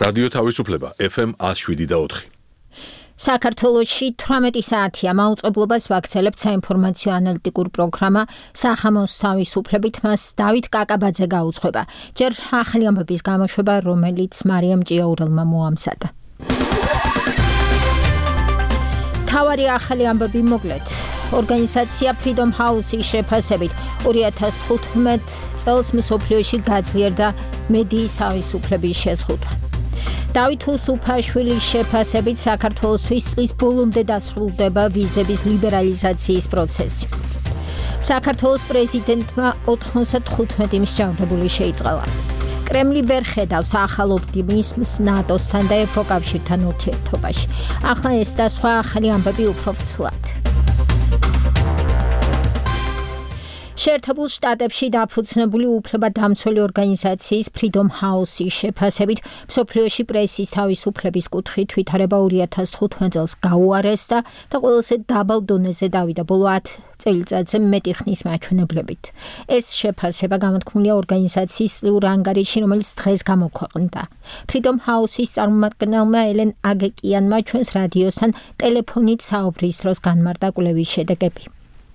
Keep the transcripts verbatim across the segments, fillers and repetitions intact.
რადიო თავისუფლება ეფ ემ one oh seven და four. საქართველოში თვრამეტი საათია მაუწყებლობას ვაქცელებთ საინფორმაციო ანალიტიკურ პროგრამა სახამოს თავისუფლებით მას დავით კაკაბაძე გაუძღვება. ჯერ ახალი ამბების გამოშვება, რომელიც მარიამ ჭიაურელმა მოამზადა. თავარი ახალი ამბები მოკლედ. ორგანიზაცია Freedom House-ის შეფასებით two thousand fifteen წელს მსოფლიოში გაძლიერდა მედიის თავისუფლების შეზღუდვა. დავით უსუფაშვილის შეფასებით საქართველოსთვის წლის ბოლომდე დასრულდება ვიზების ლიბერალიზაციის პროცესი. საქართველოს პრეზიდენტმა ninety-five მსჯავრდებული შეიწყალა. კრემლი ვერ ხედავს ახალ ოპტიმიზმს ნატოსთან და ევროკავშირთან ურთიერთობაში. ახლა ეს და სხვა ახალი ამბები უფრო ვრცლად. შეერთებულ შტატებში დაფუძნებული უფლებადამცველი ორგანიზაციის Freedom House-ის შეფასებით მსოფლიოში პრესის თავისუფლების კუთხით ვითარება two thousand fifteen წელს გაუარესდა და ყველაზე დაბალ დონეზე დავიდა ბოლო ten წელიწადზე მეტი ხნის მაჩვენებლებით. ეს შეფასება გამოთქმულია ორგანიზაციის წლიურ ანგარიში, რომელიც დღეს გამოქვეყნდა. Freedom House-ის წარმომადგენელმა ელენ აგეკიანმა ჩვენს რადიოსთან ტელეფონით საუბრის დროს განმარტა კვლევის შედეგები.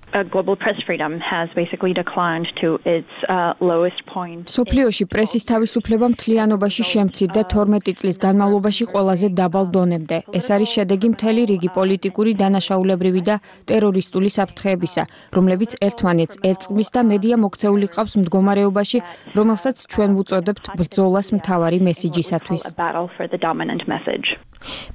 Uh, global press freedom has basically declined to its uh, lowest point. სოფლიოში პრესის თავისუფლება მთლიანობაში შემცირდა twelve წლის განმავლობაში ყველაზე დაბალ დონემდე. ეს არის შედეგი მთელი რიგი პოლიტიკური, დანაშაულებრივი და ტერორისტული საფრთხეებისა, რომლებიც ერთმანეთს ერწყმის და მედია მოქცეული ყავს მდგომარეობაში, რომელსაც ჩვენ ვუწოდებთ ბრძოლას მთავარი მესიჯისათვის.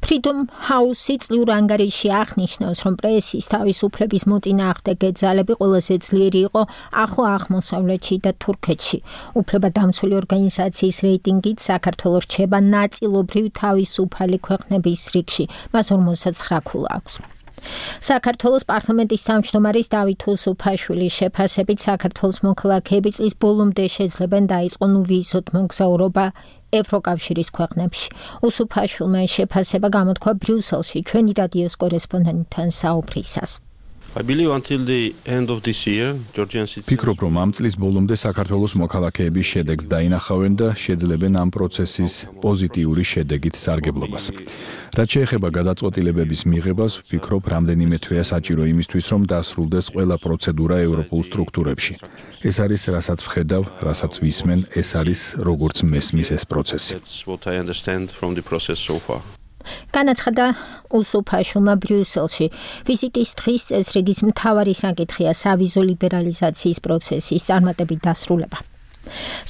Freedom House-ი წლიურ ანგარიში აღნიშნავს, რომ პრესის თავისუფლების მოწინააღმდეგე ძალები ყველაზე ძლიერი იყო ახლო აღმოსავლეთში და თურქეთში. უფლებადამცველი ორგანიზაციის რეიტინგით საქართველოს რჩება ნაწილობრივ თავისუფალი ქვეყნების რიგში, მას forty-nine ქულა აქვს. საქართველოს პარლამენტის თავმჯდომარის დავით უსუფაშვილის შეფასებით საქართველოს მოქალაქეები წლის ბოლომდე შეძლებენ დაიწყონ ვიზოთ მოგზაურობა ევროკავშირის ქვეყნებში. უსუფაშვილმა შეფასება გამოთქვა ბრიუსელში ჩვენი რადიოს კორესპონდენტთან საუბრისას. I believe until the end of this year, Georgian citizens... ფიქრობ, რომ ამ წლის ბოლომდე საქართველოს მოქალაქეების შედეგს დაინახავენ და შეძლებენ ამ პროცესის პოზიტიური შედეგით სარგებლობას. რაც შეეხება გადაწყვეტილებების მიღებას, ვფიქრობ, რამდენიმე თვეა საჭირო იმისთვის, რომ დასრულდეს ყველა პროცედურა ევროპულ სტრუქტურებში. ეს არის, რასაც ვხედავ, რასაც ვისმენ, ეს არის, როგორც მესმის ეს პროცესი. That's what I understand from the process so far. განაცხადა უსუფაშვილმა ბრიუსელში. ვიზიტის დღის წესრიგის მთავარი საკითხია სავიზო ლიბერალიზაციის პროცესის წარმატებით დასრულება.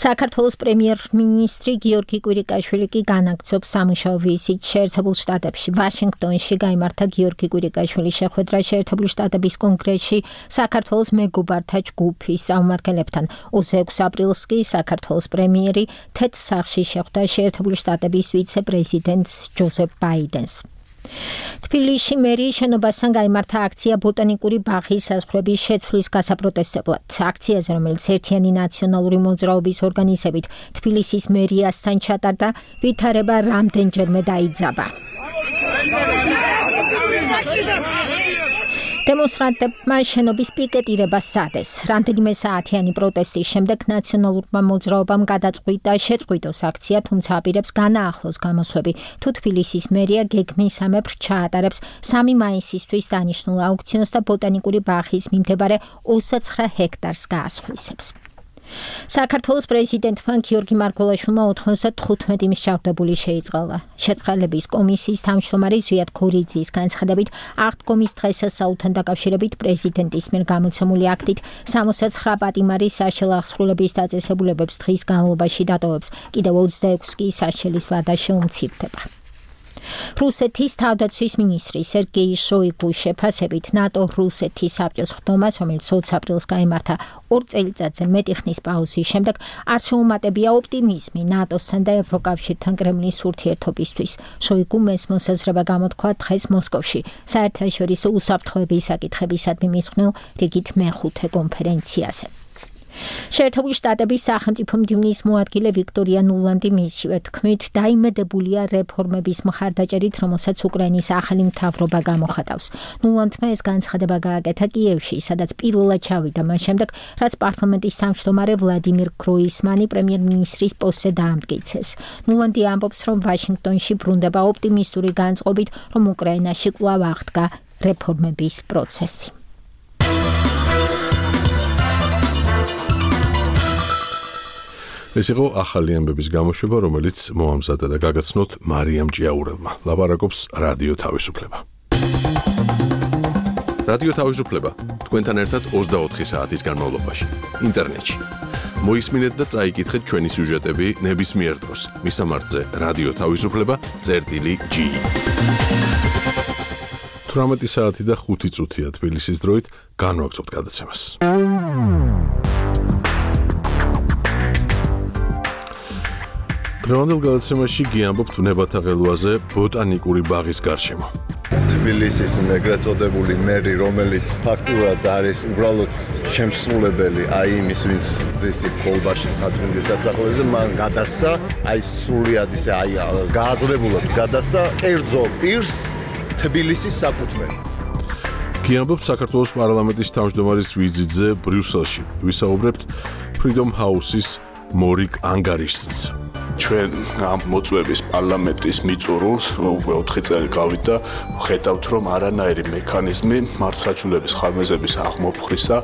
საქართველოს პრემიერ-მინისტრი გიორგი კვირიკაშვილი კი განაგრძობს სამუშაო ვიზიტს შეერთებულ შტატებში. ვაშინგტონში გაიმართა გიორგი კვირიკაშვილის შეხვედრა შეერთებული შტატების კონგრესში საქართველოს მეგობართა ჯგუფის წარმომადგენლებთან. twenty-six აპრილს კი საქართველოს პრემიერი თეთრ სახლში შეხვდა შეერთებული შტატების ვიცე-პრეზიდენტს ჯოზეფ ბაიდენს. თბილისში მერიის შენობასთან გაიმართა აქცია ბოტანიკური ბაღის საზღვრების შეცვლის გასაპროტესტებლად. აქციაზე, რომელიც ერთიანი ნაციონალური მოძრაობის ორგანიზებით თბილისის მერიასთან ჩატარდა, ვითარება რამდენჯერმე დაიძაბა. დემონსტრანტებმა შენობის პიკეტირება სადეს. რამდენიმე საათიანი პროტესტის შემდეგ ნაციონალურმა მოძრაობამ გადაწყვიტა შეწყვიტოს აქცია, თუმცა აპირებს განაახლოს გამოსვები. თუ თბილისის მერია გეგმისამებრ ჩაატარებს სამი მაისისთვის დანიშნულ აუქციონს და ბოტანიკური ბაღის მიმდებარე twenty-nine ჰექტარს გაასხვისებს. საქართველოს პრეზიდენტმა გიორგი მარგველაშვილმა ninety-five მსჯავრდებული შეიწყალა. შეწყალების კომისიის თავმჯდომარე ზვიად ქორიძის განცხადებით, აღდგომის დღესასწაულთან დაკავშირებით პრეზიდენტის მიერ გამოცემული აქტით sixty-nine პატიმარის საშელ აღსრულების დაწესებულებებს დღის განმავლობაში დატოვებს, კიდევ twenty-six კი საშელის ვადა შეუმცირდება. რუსეთის თავდაცვის მინისტრი სერგეი შოიგუს შეფასებით ნატო რუსეთის საბჭოს ხდომას, რომელიც twenty აპრილს გაიმართა ორ წელიწადზე მეტი ხნის პაუზის შემდეგ, არ შეუმატებია ოპტიმიზმი ნატოსთან და ევროკავშირთან კრემლის ურთიერთობისთვის. შოიგუმ ეს მოსაზრება გამოთქვა დღეს მოსკოვში საერთაშორისო უსაფრთხოების საკითხებისადმი მისხმნელ რიგით მეხუთე კონფერენციაზე. შეერთებული შტატების სახელმწიფო მდივნის მოადგილე ვიქტორია ნულანდი მისივე თქმით დაიმედებულია რეფორმების მხარდაჭერით, რომელსაც უკრაინის ახალი მთავრობა გამოხატავს. ნულანდმა ეს განცხადება გააკეთა კიევში, სადაც პირველად ჩავიდა მას შემდეგ, რაც პარლამენტის თავმჯდომარე ვლადიმირ გროისმანი პრემიერ-მინისტრის პოსტზე დაამტკიცეს. ნულანდი ამბობს, რომ ვაშინგტონში ბრუნდება ოპტიმისტური განწყობით, რომ უკრაინაში კვლავ აღდგა რეფორმების პროცესი. ეს იყო ახალი ამბების გამოშვება, რომელიც მოამზადა და გაგაცნოთ მარიამ ჭიაურელმა. ლაპარაკობს რადიო თავისუფლება. რადიო თავისუფლება თქვენთან ერთად ოცდაოთხი საათის განმავლობაში ინტერნეტში. მოისმინეთ და წაიკითხეთ ჩვენი სიუჟეტები ნებისმიერ დროს. მისამართზე რადიო თავისუფლება წერტილი ჯი. თვრამეტი საათი და ხუთი წუთია თბილისის დროით, განვაგრძობთ გადაცემას. დღევანდელ გადაცემაში გიამბობთ ნებათა ღელვაზე ბოტანიკური ბაღის გარშემო. თბილისის ეგრეთ წოდებული მერი, რომელიც ფაქტურად არის უბრალოდ შემსრულებელი აი იმის, ვინც ზისი კოლბაში თათმინდის სასახლეზე, მან გადასცა აი სრულიად ისე აი გააზრებულად გადასცა კერძო პირს თბილისის საკუთრება. გიამბობთ საქართველოს პარლამენტის თავმჯდომარის ვიზიტზე ბრიუსელში. ვისაუბრებთ Freedom House-ის მორიგ ანგარიშზეც. ჩვენ ამ მოწვევის პარლამენტის მიწურულს უკვე ოთხი წელი გავით და ხედავთ, რომ არანაირი მექანიზმი მართლმსაჯულების ხარბეზების აღმოფხვრისა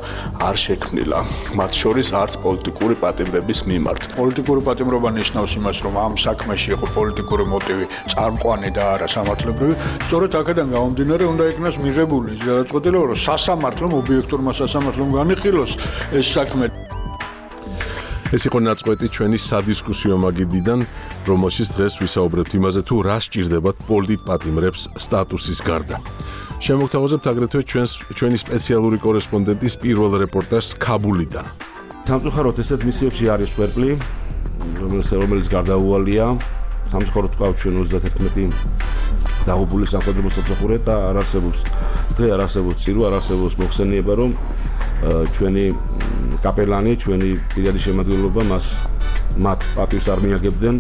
არ შექმნილა. მათ შორის არც პოლიტიკური პატიმრების მიმართ. პოლიტიკური პატიმრობა ნიშნავს იმას, რომ ამ საქმეში იყო პოლიტიკური მოტივი წარმყვანი და არა სამართლებრივი. სწორედ აქედან გამომდინარე, უნდა იქნას მიღებული ის გადაწყვეტილება, რომ სასამართლომ, ობიექტურმა სასამართლომ განიხილოს ეს საქმე. ეს იყო ნაწყვეტი ჩვენი სადისკუსიო მაგიდიდან, რომელშიც დღეს ვისაუბრებთ იმაზე, თუ რა სჭირდებათ პოლიტპატიმრებს სტატუსის გარდა. შემოგთავაზებთ აგრეთვე ჩვენს ჩვენი სპეციალური კორესპონდენტის პირველ რეპორტაჟს ქაბულიდან. სამწუხაროდ ესეთ მისიებში არის სვერპლი, რომელიც რომელიც გარდაუვალია. სამწუხაროდ ყავს ჩვენ ოცდათერთმეტი დაღუპული სამხედრო სამსახურე და არ არსებობს დღე არ არსებობს წირო, არ არსებობს მოხსენიება, რომ ჩვენი კაპელანი, ჩვენი პირადი შემადგენლობა მას მათ პატივს არ მიაგებდნენ.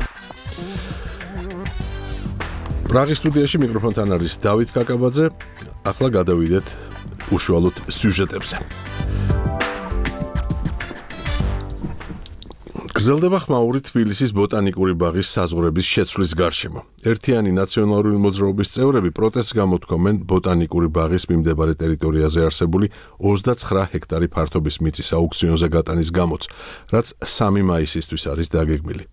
პრაღის სტუდიაში მიკროფონთან არის დავით კაკაბაძე. ახლა გადავიდეთ უშუალოდ სიუჟეტებზე. გრძელდება ხმაური თბილისის ბოტანიკური ბაღის საზღვრების შეცვლის გარშემო. ერთიანი ნაციონალური მოძრაობის წევრები პროტესტს გამოთქვამენ ბოტანიკური ბაღის მიმდებარე ტერიტორიაზე არსებული ოცდაცხრა ჰექტარი ფართობის მიწის აუქციონზე გატანის გამოც, რაც სამი მაისისთვის არის დაგეგმილი.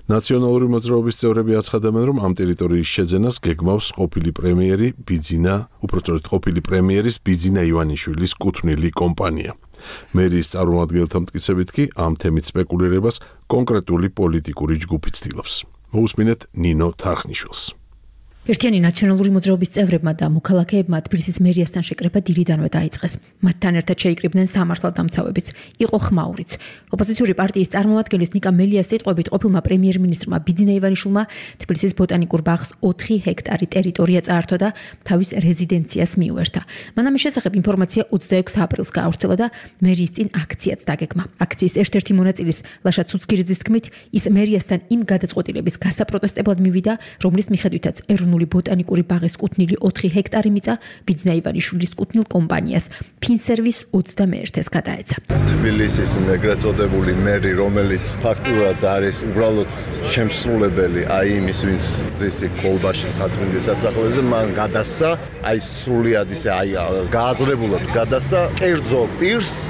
ნაციონალური მოძრაობის წევრები აცხადებენ, რომ ამ ტერიტორიის შეძენას გეგმავს ყოფილი პრემიერი ბიძინა, უпростоრეთ ყოფილი პრემიერის ბიძინა ივანიშვილის კუთვნილი კომპანია. მერიის წარმომადგენელთა მტკიცებით კი ამ თემით სპეკულირებას კონკრეტული პოლიტიკური ჯგუფი ცდილობს. მოусმინეთ ნინო თარხნიშვილს. ერთიანი ნაციონალური მოძრაობის წევრებმა და მოქალაქეებმა თბილისის მერიასთან შეკრება დილიდანვე დაიწყეს. მათთან ერთად შეიკრიბნენ სამართალდამცავებიც, იყო ხმაურიც. ოპოზიციური პარტიის წარმომადგენლის ნიკა მელიას სიტყვებით, ყოფილმა პრემიერ-მინისტრმა ბიძინა ივანიშვილმა თბილისის ბოტანიკურ ბაღს ოთხი ჰექტარი ტერიტორია წაართვა და თავის რეზიდენციას მიუერთა. მან ამის შესახებ ინფორმაცია ოცდაექვსი აპრილს გაავრცელა და მერიის წინ აქციაც დაგეგმა. აქციის ერთ-ერთი მონაწილის ლაშა ცუცქირიძის თქმით, ის მერიასთან იმ გადაწყვეტილების გასაპროტესტებლად მივიდა, რომლის მიხედვითაც ეროვნული ბოტანიკური ბაღის კუთვნილი ოთხი ჰექტარი მიწა ბიძინა ივანიშვილის კუთვნილ კომპანიას ფინსერვის ოცდამეერთეს გადაეცა. თბილისის ეგრეთ წოდებული მერი, რომელიც ფაქტურად არის უბრალოდ შემსრულებელი აი იმის, ვინც ზისი კოლბაში თათმინდის სასახლეზე, მან გადასცა აი სრულიად ისე აი გააზრებულად გადასცა კერძო პირს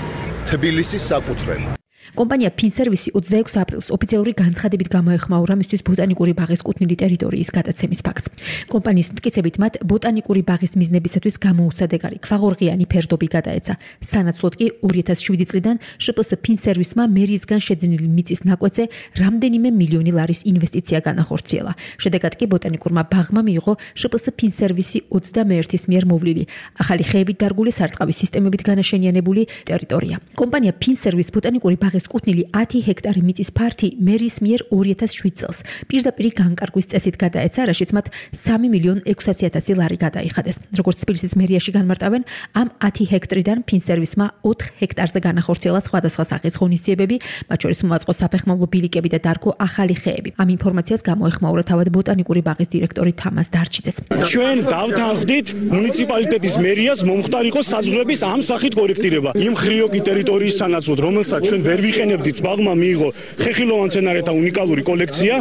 თბილისის საკუთრება. კომპანია ფინსერვისი ოცდაექვსი აპრილს ოფიციალური განცხადებით გამოეხმაურა მისთვის ბოტანიკური ბაღის კუთვნილი ტერიტორიის გადაცემის ფაქტს. კომპანიის მტკიცებით მათ ბოტანიკური ბაღის მიზნებისათვის გამოუსადეგარი ქვაღორღიანი ფერდობი გადაეცა. სანაცვლოდ კი ორი ათას შვიდი წლიდან შპს ფინსერვისმა მერიისგან შეძენილი მიწის ნაკვეთზე რამდენიმე მილიონი ლარის ინვესტიცია განახორციელა. შედეგად კი ბოტანიკურმა ბაღმა მიიღო შპს ფინსერვისი ოცდამეერთის მიერ მოვლილი, ახალი ხეებით დარგული სარწყავი სისტემებით განაშენიანებული ტერიტორია. კომპანია ფინსერვის ბოტანიკური ბაღის დღეს კუთვნილი ათი ჰექტარი მიწის ფართი მერის მიერ ორი ათას შვიდ წელს პირდაპირ განკარგვის წესით გადაეცა, რაშიც მათ სამი მილიონ ექვსასი ათასი ლარი გადაიხადეს. როგორც თბილისის მერიაში განმარტავენ, ამ ათი ჰექტრიდან ფინსერვისმა ოთხ ჰექტარზე განახორციელა სხვადასხვა სახის ღონისძიებები, მათ შორის მოაწყო საფეხმავლო ბილიკები და დარგო ახალი ხეები. ამ ინფორმაციას გამოეხმაურა თავად ბოტანიკური ბაღის დირექტორი თამაზ დარჩიძეც. ჩვენ დავთანხმდით მუნიციპალიტეტის მერიას მომხდარ იყოს საზღვრების ამ სახით კორექტირება. იმ ხრიოკი ტერიტორიის სანაცვლოდ, რომელსაც ჩვენ ვერ ვიყენებდით, ბაღმა მიიღო ხეხილოვან მცენარეთა უნიკალური კოლექცია.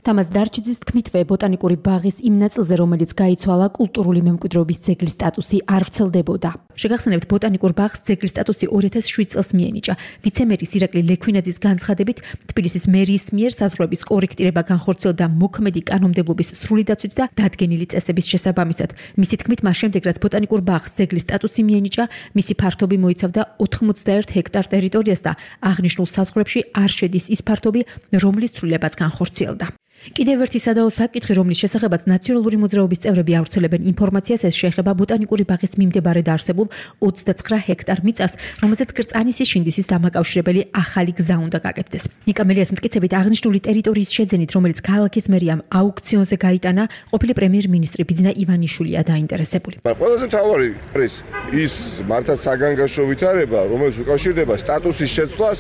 თამაზ დარჩიძის თქმითვე ბოტანიკური ბაღის იმ ნაწილზე, რომელიც გაიცვალა, კულტურული მემკვიდრეობის ძეგლის სტატუსი არ ვრცელდებოდა. შეგახსენებთ, ბოტანიკურ ბაღს ძეგლის სტატუსი ორი ათას შვიდ წელს მიენიჭა. ვიცე-მერის ირაკლი ლექვინაძის განცხადებით, თბილისის მერიის მიერ საზღვრების კორექტირება განხორციელდა მოქმედი კანონმდებლობის სრული დაცვით და დადგენილი წესების შესაბამისად. მისი თქმით, მას შემდეგ, რაც ბოტანიკურ ბაღს ძეგლის სტატუსი მიენიჭა, მისი ფართობი მოიცავდა ოთხმოცდაერთ ჰექტარ ტერიტორიას და აღნიშნულ საზღვრებში არ შედის ის ფართობი, რომლის ცვლილებაც განხორციელდა. კიდევ ერთი სადაო საკითხი, რომლის შესახებაც ნაციონალური მოძრაობის წევრები ავრცელებენ ინფორმაციას, ეს შეეხება ბოტანიკური ბაღის მიმდებარედ არსებულ ოცდაცხრა ჰექტარ მიწას, რომელზეც კრწანისის შინდისის დამაკავშირებელი ახალი გზა უნდა გაკეთდეს. ნიკა მელიას მტკიცებით, აღნიშნული ტერიტორიის შეძენით, რომელიც ქალაქის მერიამ აუქციონზე გაიტანა, ყოფილი პრემიერ-მინისტრი ბიძინა ივანიშვილია დაინტერესებული. ყველაზე მთავარი არის ის მართლაც საგანგაშო ვითარება, რომელიც უკავშირდება სტატუსის შეცვლას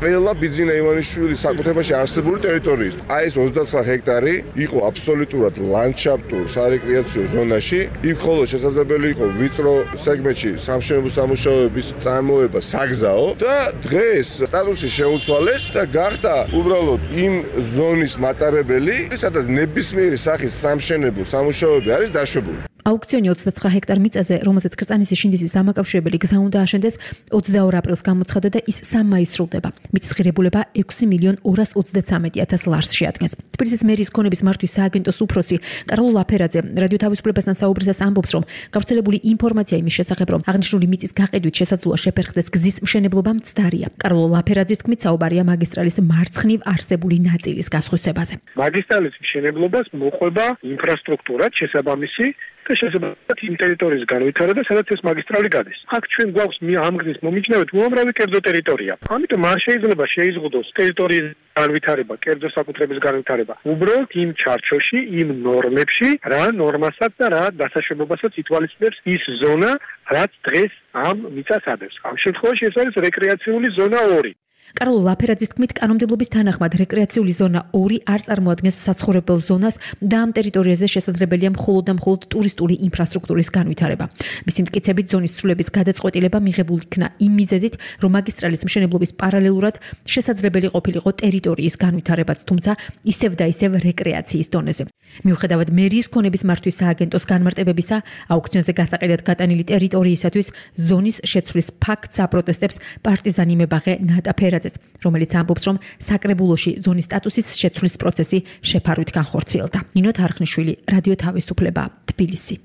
ყველა ბიძინა ივანიშვილის საკუთრებაში არსებული ტერიტორიის. აი ეს ოცდაცხრა ჰექტარი იყო აბსოლუტურად ლანდშაფტურ სარეკრეაციო ზონაში, იქ ხოლო შესაძლებელი იყო ვიწრო სეგმენტში სამშენებლო სამუშაოების წარმოება საგზაო და დღეს სტატუსი შეუცვალეს და გახდა უბრალოდ იმ ზონის მატარებელი, სადაც ნებისმიერი სახის სამშენებლო სამუშაოები არის დაშვებული. აუქციონი ოცდაცხრა ჰექტარ მიწაზე, რომელზეც კრწანისის შინდისის დამაკავშირებელი გზა უნდა აშენდეს, ოცდაორ აპრილს გამოცხადდა და ის სამ მაისს სრულდება. მიწის ღირებულება ექვსი მილიონ ორას ოცდაცამეტი ათას ლარს შეადგენს. თბილისის მერიის ქონების მართვის სააგენტოს უფროსი კარლო ლაფერაძე რადიო თავისუფლებასთან საუბრისას ამბობს, რომ გავრცელებული ინფორმაცია იმის შესახებ, რომ აღნიშნული მიწის გაყიდვით შესაძლოა შეფერხდეს გზის მშენებლობა მცდარია. კარლო ლაფერაძის თქმით, საუბარია მაგისტრალის მარცხნივ არსებული ნაწილის გასხვისებაზე. მაგისტრალის მშენებლობას მოყვება ინფრასტრუქტურა შესაბამისი და შესაბამისად იმ ტერიტორიის განვითარება, სადაც ეს მაგისტრალი გადის. აქ ჩვენ გვაქვს ამ გზის მომიჯნავედ უამრავი კერძო ტერიტორია. ამიტომ არ შეიძლება შეიზღუდოს ტერიტორიის განვითარება, კერძო საკუთრების განვითარება. უბრალოდ იმ ჩარჩოში, იმ ნორმებში, რა ნორმასაც და რა დასაშვებობასაც ითვალისწინებს ის ზონა, რაც დღეს ამ მიწას ადევს. ამ შემთხვევაში ეს არის რეკრეაციული ზონა ორი. კარლო ლაფერაძის თქმით, კანონმდებლობის თანახმად რეკრეაციული ზონა ორი არ წარმოადგენს საცხოვრებელ ზონას და ამ ტერიტორიაზე შესაძლებელია მხოლოდ და მხოლოდ ტურისტული ინფრასტრუქტურის განვითარება. მისი მტკიცებით, ზონის ცვლილების გადაწყვეტილება მიღებული იქნა იმ მიზეზით, რომ მაგისტრალის მშენებლობის პარალელურად შესაძლებელი ყოფილიყო ტერიტორიის განვითარებაც, თუმცა ისევ და ისევ რეკრეაციის დონეზე. მიუხედავად მერიის ქონების მართვის სააგენტოს განმარტებებისა, აუქციონზე გასაყიდად გატანილი ტერიტორიისათვის ზონის შეცვლის ფაქტს აპროტესტებს პარტიზანი მებაღე ნატა ფერაძეც, რომელიც ამბობს, რომ საკრებულოში ზონის სტატუსის შეცვლის პროცესი შეფარვით განხორციელდა. ნინო თარხნიშვილი, რადიო თავისუფლება, თბილისი.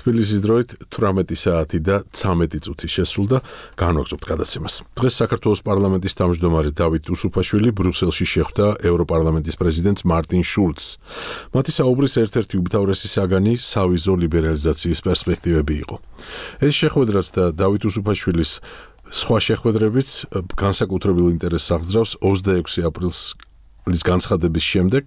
თბილისის დროით თვრამეტი საათი და ცამეტი წუთი შესრულდა. განვაგრძობთ გადაცემას. დღეს საქართველოს პარლამენტის თავმჯდომარე დავით უსუფაშვილი ბრიუსელში შეხვდა ევროპარლამენტის პრეზიდენტს მარტინ შულცს. მათი საუბრის ერთ-ერთი უმთავრესი საგანი სავიზო ლიბერალიზაციის პერსპექტივები იყო. ეს შეხვედრაც და დავით უსუფაშვილის სხვა შეხვედრებიც განსაკუთრებულ ინტერესს აღძრავს ოცდაექვსი აპრილის განცხადების შემდეგ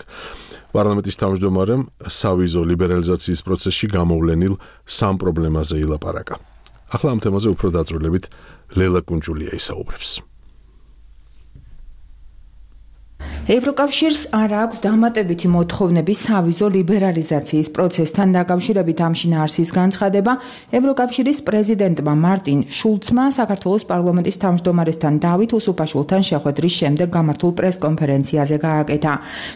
პარლამენტის თავმჯდომარემ სავიზო ლიბერალიზაციის პროცესში გამოვლენილ სამ პრობლემაზე ილაპარაკა. ახლა ამ თემაზე უფრო დაწვრილებით ლელა კუნჯულია ისაუბრებს. ევროკავშირს არ აქვს დამატებითი მოთხოვნები სავიზო ლიბერალიზაციის პროცესთან დაკავშირებით ამ შინაარსის განცხადება ევროკავშირის პრეზიდენტმა მარტინ შულცმა საქართველოს პარლამენტის თავმჯდომარესთან დავით უსუფაშვილთან შეხვედრის შემდეგ გამართულ პრესკონფერენციაზე გააკეთა.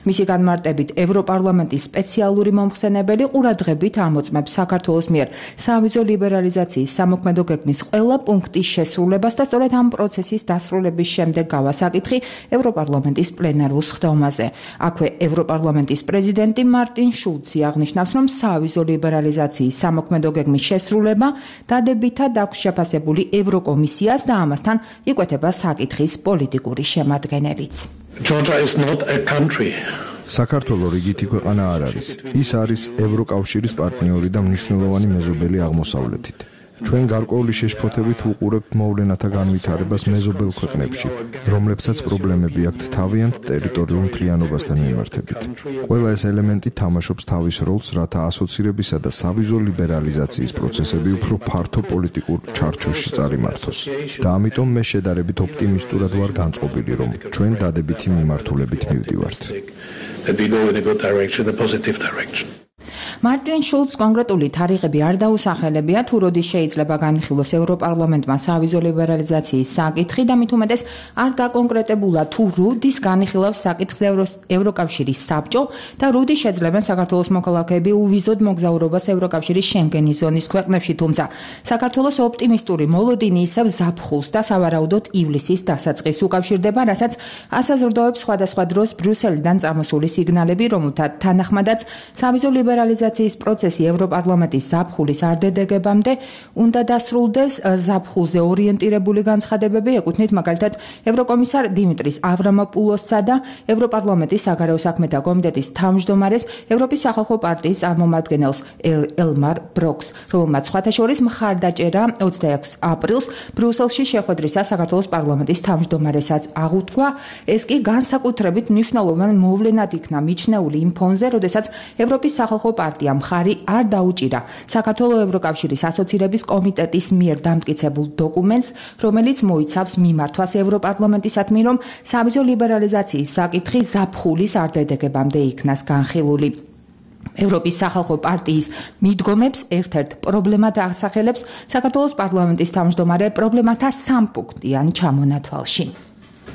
მისი განმარტებით ევროპარლამენტის სპეციალური მომხსენებელი ყურადღებით ამოწმებს საქართველოს მიერ სავიზო ლიბერალიზაციის სამოქმედო გეგმის ყველა პუნქტის შესრულებას და სწორედ ამ პროცესის დასრულების შემდეგ გავა საკითხი ევროპარლამენტის პლენარულ სხდომაზე. აქვე ევროპარლამენტის პრეზიდენტი მარტინ შულცი აღნიშნავს, რომ სავიზო ლიბერალიზაციის სამოქმედო გეგმის შესრულება დადებითად აქვს შეფასებული ევროკომისიას და ამასთან იკვეთება საკითხის პოლიტიკური შემადგენელიც. Georgia is not a country. საქართველო რიგითი ქვეყანა არ არის. ის არის ევროკავშირის პარტნიორი და მნიშვნელოვანი მეზობელი აღმოსავლეთით. ჩვენ გარკვეული შეშფოთებით უყურებთ მოვლენათა განვითარებას მეზობელ ქვეყნებში, რომლებსაც პრობლემები აქვთ თავიანთ ტერიტორიულ მთლიანობასთან მიმართებით. ყველა ეს ელემენტი თამაშობს თავის როლს, რათა ასოცირებისა და სავიზო ლიბერალიზაციის პროცესები უფრო ფართო პოლიტიკურ ჩარჩოში წარიმართოს. და ამიტომ მე შედარებით ოპტიმისტურად ვარ განწყობილი, რომ ჩვენ დადებითი მიმართულებით მივდივართ. That we go in a good direction, a positive direction. მარტინ შულც კონკრეტული თარიღები არ დაუსახელებია, თუ როდის შეიძლება განხილოს ევროპარლამენტმა სავიზო ლიბერალიზაციის საკითხი და მით უმეტეს არ დაკონკრეტებულა, თუ როდის განხილავს საკითხს ევროკავშირის საბჭო და როდის შეძლებენ საქართველოს მოქალაქეები უვიზოდ მოგზაურობას ევროკავშირის შენგენის ზონის ქვეყნებში, თუმცა საქართველოს ოპტიმისტური მოლოდინი ისევ ზაფხულს და სავარაუდოდ ივლისის დასაწყისს უკავშირდება, რასაც ასაზრდოებს სხვადასხვა დროს ბრიუსელიდან წამოსული სიგნალები, რომელთა თანახმადაც სავიზო ლიბერალიზაციის პროცესი ევროპარლამენტის ზაფხულის არდედეგებამდე უნდა დასრულდეს. ზაფხულზე ორიენტირებული განცხადებები ეკუთვნით მაგალითად ევროკომისარ დიმიტრის ავრამოპულოსსა და ევროპარლამენტის საგარეო საქმეთა კომიტეტის თავმჯდომარეს ევროპის სახალხო პარტიის წარმომადგენელს ელმარ ბროკს, რომელმაც სხვათა შორის მხარდაჭერა ოცდაექვსი აპრილს ბრიუსელში შეხვედრისას საქართველოს პარლამენტის თავმჯდომარესაც აღუთქვა. ეს კი განსაკუთრებით მნიშვნელოვან მოვლენად იქნა მიჩნეული იმ ფონზე, როდესაც ევროპის სახალხო პარტია მხარი არ დაუჭირა საქართველოს ევროკავშირის ასოცირების კომიტეტის მიერ დამტკიცებულ დოკუმენტს, რომელიც მოიცავს მიმართვას ევროპარლამენტისადმი, რომ სავიზო ლიბერალიზაციის საკითხი ზაფხულის არდედეგებამდე იქნას განხილული. ევროპის სახალხო პარტიის მიდგომებს ერთ-ერთ პრობლემად ასახელებს საქართველოს პარლამენტის თავმჯდომარე პრობლემათა სამპუნქტიან ჩამონათვალში.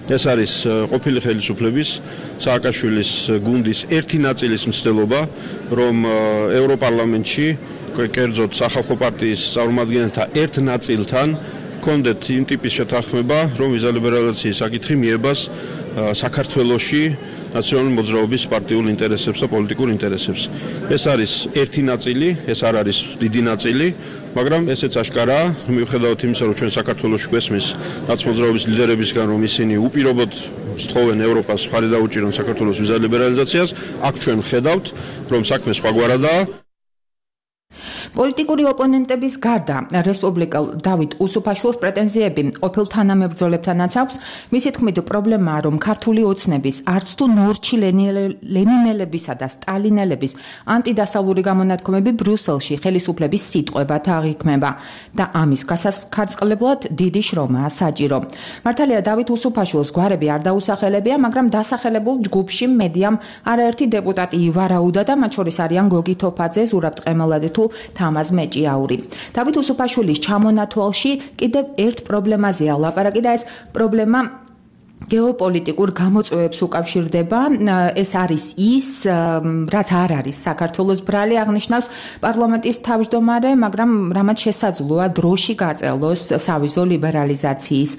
ეს არის ყოფილი ხელისუფლების სააკაშვილის გუნდის ერთი ნაწილის მცდელობა, რომ ევროპარლამენტში, კერძოდ სახალხო პარტიის წარმომადგენელთა ერთ ნაწილთან კონდეთ იმ ტიპის შეთანხმება, რომ ვიზა ლიბერალიზაციის საკითხი მიებას საქართველოში ნაციონალური მოძრაობის პარტიულ ინტერესებს და პოლიტიკურ ინტერესებს. ეს არის ერთი ნაწილი, ეს არ არის დიდი ნაწილი, მაგრამ ესეც აშკარაა, მიუხედავად იმისა, რომ ჩვენ საქართველოში გვესმის ნაცმოძრაობის ლიდერებისგან, რომ ისინი უპირობოდ სთხოვენ ევროპას მხარი დაუჭირონ საქართველოს ვიზა ლიბერალიზაციას, აქ ჩვენ ხედავთ, რომ საქმე სხვაგვარადაა. პოლიტიკური ოპონენტების გარდა რესპუბლიკელ დავით უსუფაშვილს პრეტენზიები ყოფილ თანამებრძოლებთანაც აქვს. მისი თქმით, პრობლემაა, რომ ქართული ოცნების არც თუ ნორჩი ლენინელებისა და სტალინელების ანტიდასავლური გამონათქვამები ბრიუსელში ხელისუფლების სიტყვებად აღიქმება და ამის გასახარწყლებლად დიდი შრომაა საჭირო. მართალია დავით უსუფაშვილს გვარები არ დაუსახელებია, მაგრამ დასახელებულ ჯგუფში მედიამ არაერთი დეპუტატი ივარაუდა და მათ შორის არიან გოგი თოფაძე, ზურაბ ტყემალაძე თუ თამაზ მეჭიაური. დავით უსუფაშვილის ჩამონათვალში კიდევ ერთ პრობლემაზეა ლაპარაკი და ეს პრობლემა გეოპოლიტიკურ გამოწვევებს უკავშირდება. ეს არის ის, რაც არ არის საქართველოს ბრალი, აღნიშნავს პარლამენტის თავმჯდომარე, მაგრამ რამაც შესაძლოა დროში გაწელოს სავიზო ლიბერალიზაციის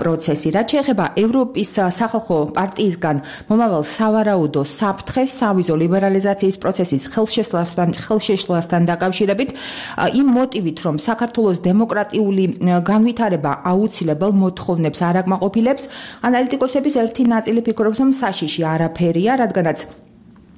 პროცესი. რაც შეეხება ევროპის სახალხო პარტიისგან მომავალ სავარაუდო საფრთხეს სავიზო ლიბერალიზაციის პროცესის ხელშესვლასთან ხელშეშლასთან დაკავშირებით, იმ მოტივით, რომ საქართველოს დემოკრატიული განვითარება აუცილებელ მოთხოვნებს არ აკმაყოფილებს, ანალიტიკოსების ერთი ნაწილი ფიქრობს, რომ საშიში არაფერია, რადგანაც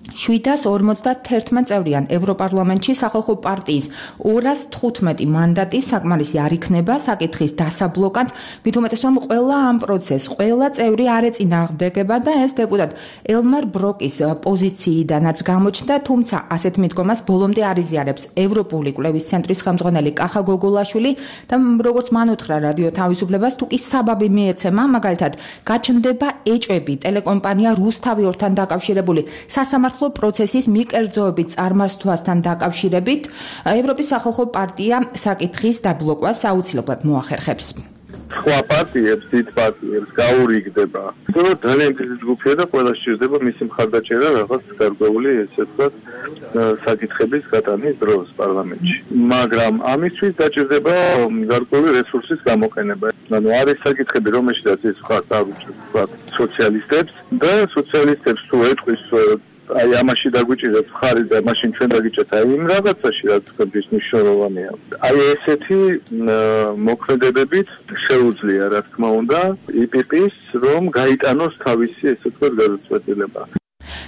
შვიდას ორმოცდაერთი წევრიან ევროპარლამენტში სახალხო პარტიის ორას თხუთმეტი მანდატი საკმარისი არ იქნება საკითხის დასაბლოკად, მით უმეტეს რომ ყველა ამ პროცესს, ყველა წევრი არ ეწინააღმდეგება და ეს დეპუტატ ელმარ ბროკის პოზიციიდანაც გამოჩნდა, თუმცა ასეთ მიდგომას ბოლომდე არ იზიარებს ევროპული კვლევის ცენტრის ხელმძღვანელი კახა გოგოლაშვილი და როგორც მან უთხრა რადიო თავისუფლებას, თუ კი საბაბი მიეცემა, მაგალითად გაჩნდება ეჭვები ტელეკომპანია რუსთავიორთან დაკავშირებული სასამართლო პროცესის მიკერძოებით წარმართვასთან დაკავშირებით, ევროპის სახალხო პარტია საკითხის დაბლოკვას აუცილებლად მოახერხებს. სხვა პარტიებს, დიდ პარტიებს გაურიგდება. სწორედ ძალიან დიდი ჯგუფია და ყველა სჭირდება მისი მხარდაჭერა რაღაც გარკვეული ესე ვთქვათ საკითხების გატანის დროს პარლამენტში. მაგრამ ამისთვის დაჭირდება გარკვეული რესურსის გამოყენება. ანუ არის საკითხები, რომელშიც ის ხარ წარუჭრებს ვთქვათ სოციალისტებს და სოციალისტებს თუ ეტყვის აი ამაში დაგვიჭირეთ ხარი და მაშინ ჩვენ დაგიჭერთ აი იმ რაღაცაში რაც თქვენთვის მნიშვნელოვანია. აი ესეთი მოქმედებებით შეუძლია რა თქმა უნდა ი პი პი-ს რომ გაიტანოს თავისი ესე ვთქვათ გადაწყვეტილება.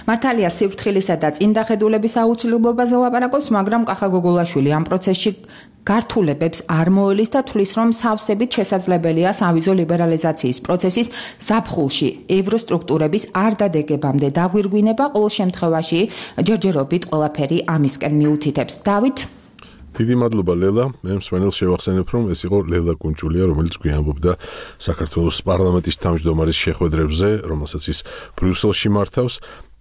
მართალია სიფრთხილისა და წინდახედულების აუცილებლობაზე ლაპარაკობს, მაგრამ კახა გოგოლაშვილი ამ პროცესში გართულებებს არ მოელის და თვლის, რომ სავსებით შესაძლებელია სავიზო ლიბერალიზაციის პროცესის ზაფხულში ევროსტრუქტურების არ დადეგებამდე დაგვირგვინება, ყოველ შემთხვევაში ჯერჯერობით ყველაფერი ამისკენ მიუთითებს. დავით დიდი მადლობა ლელა. მე მსმენელს შევახსენებ, რომ ეს იყო ლელა კუნჭულია, რომელიც გვიამბობდა საქართველოს პარლამენტის თავმჯდომარის შეხვედრებზე, რომელსაც ის ბრიუსელში მართავს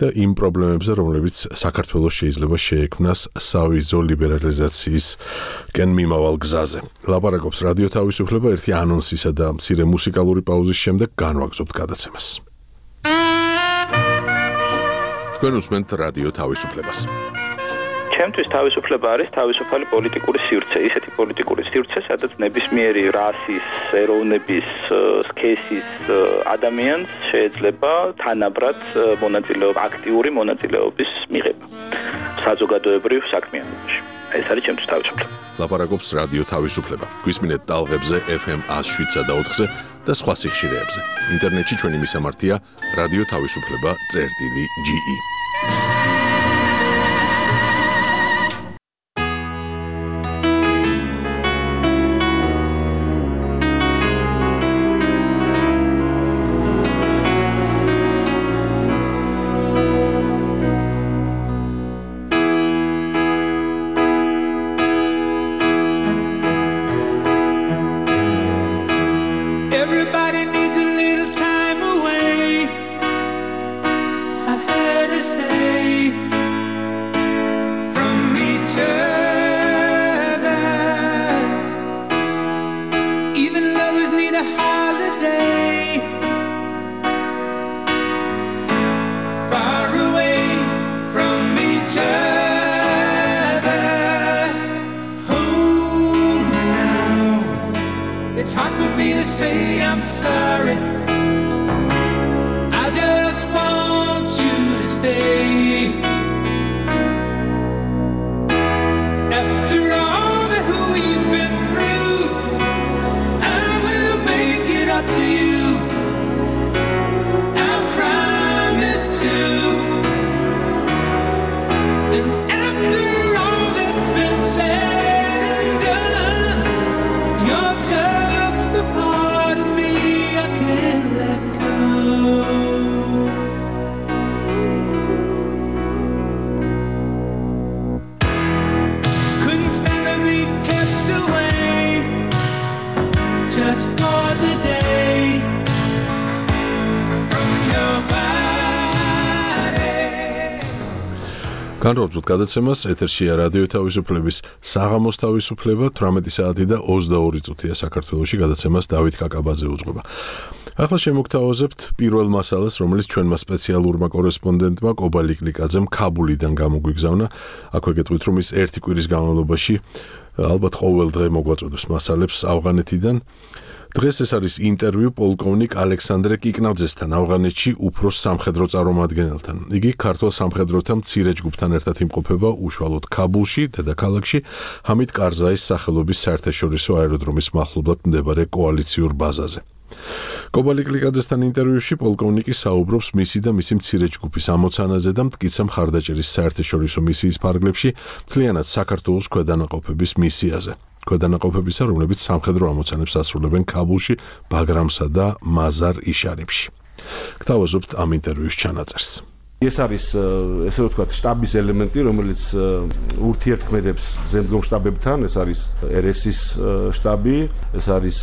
და იმ პრობლემებზე, რომლებიც საქართველოს შეიძლება შეექმნას სავიზო ლიბერალიზაციისკენ მიმავალ გზაზე. ლაპარაკობს რადიო თავისუფლება, ერთი ანონსისა და მცირე მუსიკალური პაუზის შემდეგ განვაგრძობთ გადაცემას. თქვენ უსმენთ რადიო თავისუფლებას. ჩემთვის თავისუფლება არის თავისუფალი პოლიტიკური სივრცე, ისეთი პოლიტიკური სივრცე, სადაც ნებისმიერი რასის, ეროვნების, სქესის ადამიანს შეიძლება თანაბრად მონაწილეობა, აქტიური მონაწილეობის მიღება საზოგადოებრივ საქმიანობაში. ეს არის ჩემთვის თავისუფლება. ლაპარაკობს რადიო თავისუფლება. გვისმინეთ ტალღებზე ეფ ემ one oh seven და ოთხზე და სხვა სიხშირეებზე. ინტერნეტში ჩვენი მისამართია რადიო თავისუფლება წერტილი ჯი ი. Everybody needs a little time away. I heard her say from each other. Even lovers need a holiday. Far away from each other. Home now. It's hard for me to say I'm sorry. I just want you to stay. After all that we've been through, I will make it up to you. I promise to. And after all that's been said and done, you're just a part of me I can't let go. Couldn't stand to be kept away just for the day from your body. განრობთ გადაცემას ეთერშია რადიო თავისუფლების საღამოს თავისუფლება თვრამეტი საათი და ოცდაორი წუთია საქართველოში გადაცემას დავით კაკაბაძე უძღვება. ახლა შემოგთავაზებთ პირველ მასალას, რომელიც ჩვენმა სპეციალურმა კორესპონდენტმა კობა ლიკლიკაძემ ქაბულიდან გამოგვიგზავნა. აქვე გეტყვით, რომ ის ერთი კვირის განმავლობაში ალბათ ყოველ დღე მოგვაწოდებს მასალებს ავღანეთიდან. დღეს ეს არის ინტერვიუ პოლკოვნიკ ალექსანდრე კიკნაძესთან ავღანეთში უფროს სამხედრო წარმომადგენელთან. იგი ქართულ სამხედროთა მცირე ჯგუფთან ერთად იმყოფება უშუალოდ ქაბულში, დედაქალაქში, ჰამიდ კარზაის სახელობის საერთაშორისო აეროდრომის მახლობლად მდებარე კოალიციურ ბაზაზე. კობა ლიკლიკაძესთან ინტერვიუში პოლკოვნიკი საუბრობს მისი და მისი მცირე ჯგუფის ამოცანაზე და მტკიცა მხარდაჭერის საერთაშორისო მისიის ფარგლებში, მთლიანად საქართველოს ქვედანაყოფების მისიაზე. ქვედანაყოფებისა, რომლებიც სამხედრო ამოცანებს ასრულებენ ქაბულში, ბაგრამსა და მაზარ იშარიფში. გთავაზობთ ამ ინტერვიუს ჩანაწერს. ეს არის ესე ვთქვათ შტაბის ელემენტი, რომელიც ურთიერთქმედებს ზემდგომ შტაბებთან, ეს არის er es is შტაბი, ეს არის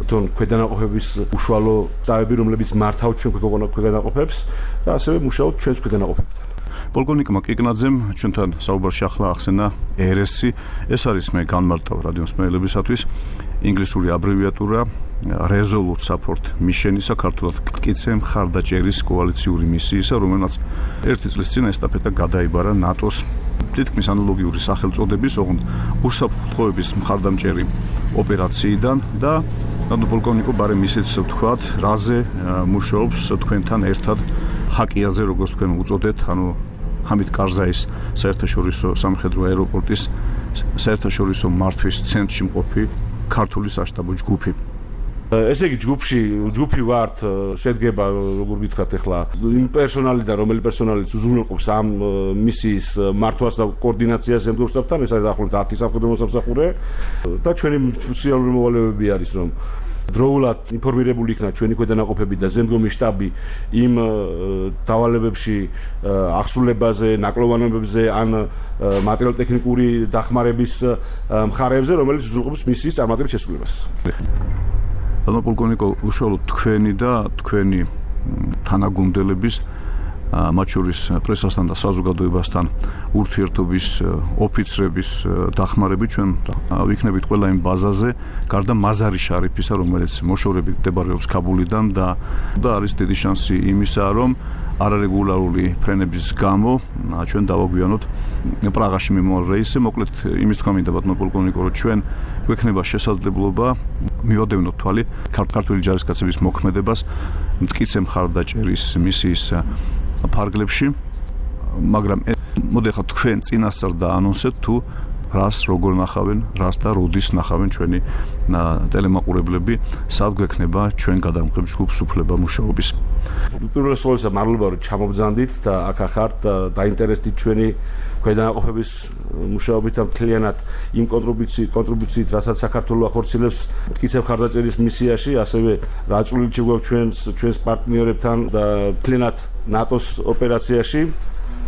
თვითონ ქვედანაყოფების უშუალო შტაბები, რომლებიც მართავ ჩვენ ქვედანაყოფებს და ასევე მუშაობთ ჩვენს ქვედანაყოფებთან. პოლკოვნიკმა კიკნაძემ ჩვენთან საუბარში ახლა ახსენა er es i, ეს არის მე განმარტავ რადიო მსმენელებისათვის ინგლისური აბრევიატურა Resolute Support Mission საქართველოს მტკიცე მხარდაჭერის კოალიციური მისიისა, რომელმაც ერთი წლის წინ ესტაფეტა გადაიბარა ნატოს თითქმის ანალოგიური სახელწოდების, ოღონდ უსაფრთხოების მხარდამჭერი ოპერაციიდან და ანუ პოლკოვნიკო ბარემ ისიც ვთქვათ, რაზე მუშაობს თქვენთან ერთად ჰაკიაზე, როგორც თქვენ უწოდეთ, ანუ ჰამიდ კარზაის საერთაშორისო სამხედრო აეროპორტის საერთაშორისო მართვის ცენტრში მყოფი ქართული საშტაბო ჯგუფი. ესე იგი ჯგუფში ჯგუფი ვართ შედგება როგორ გითხრათ ახლა იმ პერსონალიდან რომელი პერსონალიც უზრუნველყოფს ამ მისიის მართვას და კოორდინაციას ემგროვსთან ეს არის დაახლოებით ათი სამხედრო მოსამსახურე და ჩვენი სოციალური მოვალეობები არის რომ დროულად ინფორმირებული იქნა ჩვენი ქვედანაყოფები და ზემდგომი შტაბი იმ დავალებებში აღსრულებაზე, ნაკლოვანებებზე ან მატერიალურ-ტექნიკური დახმარების მხარეებზე, რომელიც უზრუნველყოფს მისიის წარმატებით შესრულებას. ანუ პოლკოვნიკო უშუალოდ თქვენი და თქვენი თანაგუნდელების მათ შორის პრესასთან და საზოგადოებასთან ურთიერთობის ოფიცრების დახმარებით ჩვენ ვიქნებით ყველა იმ ბაზაზე გარდა მაზარი შარიფისა რომელიც მოშორებით მდებარეობს ქაბულიდან და და არის დიდი შანსი იმისა რომ არარეგულარული ფრენების გამო ჩვენ დავაგვიანოთ პრაღაში მიმავალ რეისი მოკლედ იმის თქვა მინდა ბატონო პოლკოვნიკო რომ ჩვენ გვექნება შესაძლებლობა მივადევნოთ თვალი ქართული ჯარისკაცების მოქმედებას მტკიცე მხარდაჭერის მისიის ფარგლებში მაგრამ მოდი ახლა თქვენ წინასწარ დაანონსეთ თუ რას როგორ ნახავენ რას და როდის ნახავენ ჩვენი ტელემაყურებლები სად გვექნება ჩვენ გადამღებ ჯგუფს უფლება მუშაობის პირველ ყოვლისა მადლობა რომ ჩამობძანდით და აქ ახართ დაინტერესდით ჩვენი ქვედანაყოფების მუშაობით და მთლიანად იმ კონტრიბუციით კონტრიბუციით რასაც საქართველოს ახორციელებს მტკიცე მხარდაჭერის მისიაში ასევე რა წვლილი შეგვაქვს ჩვენს ჩვენს პარტნიორებთან და მთლიანად ნატოს ოპერაციაში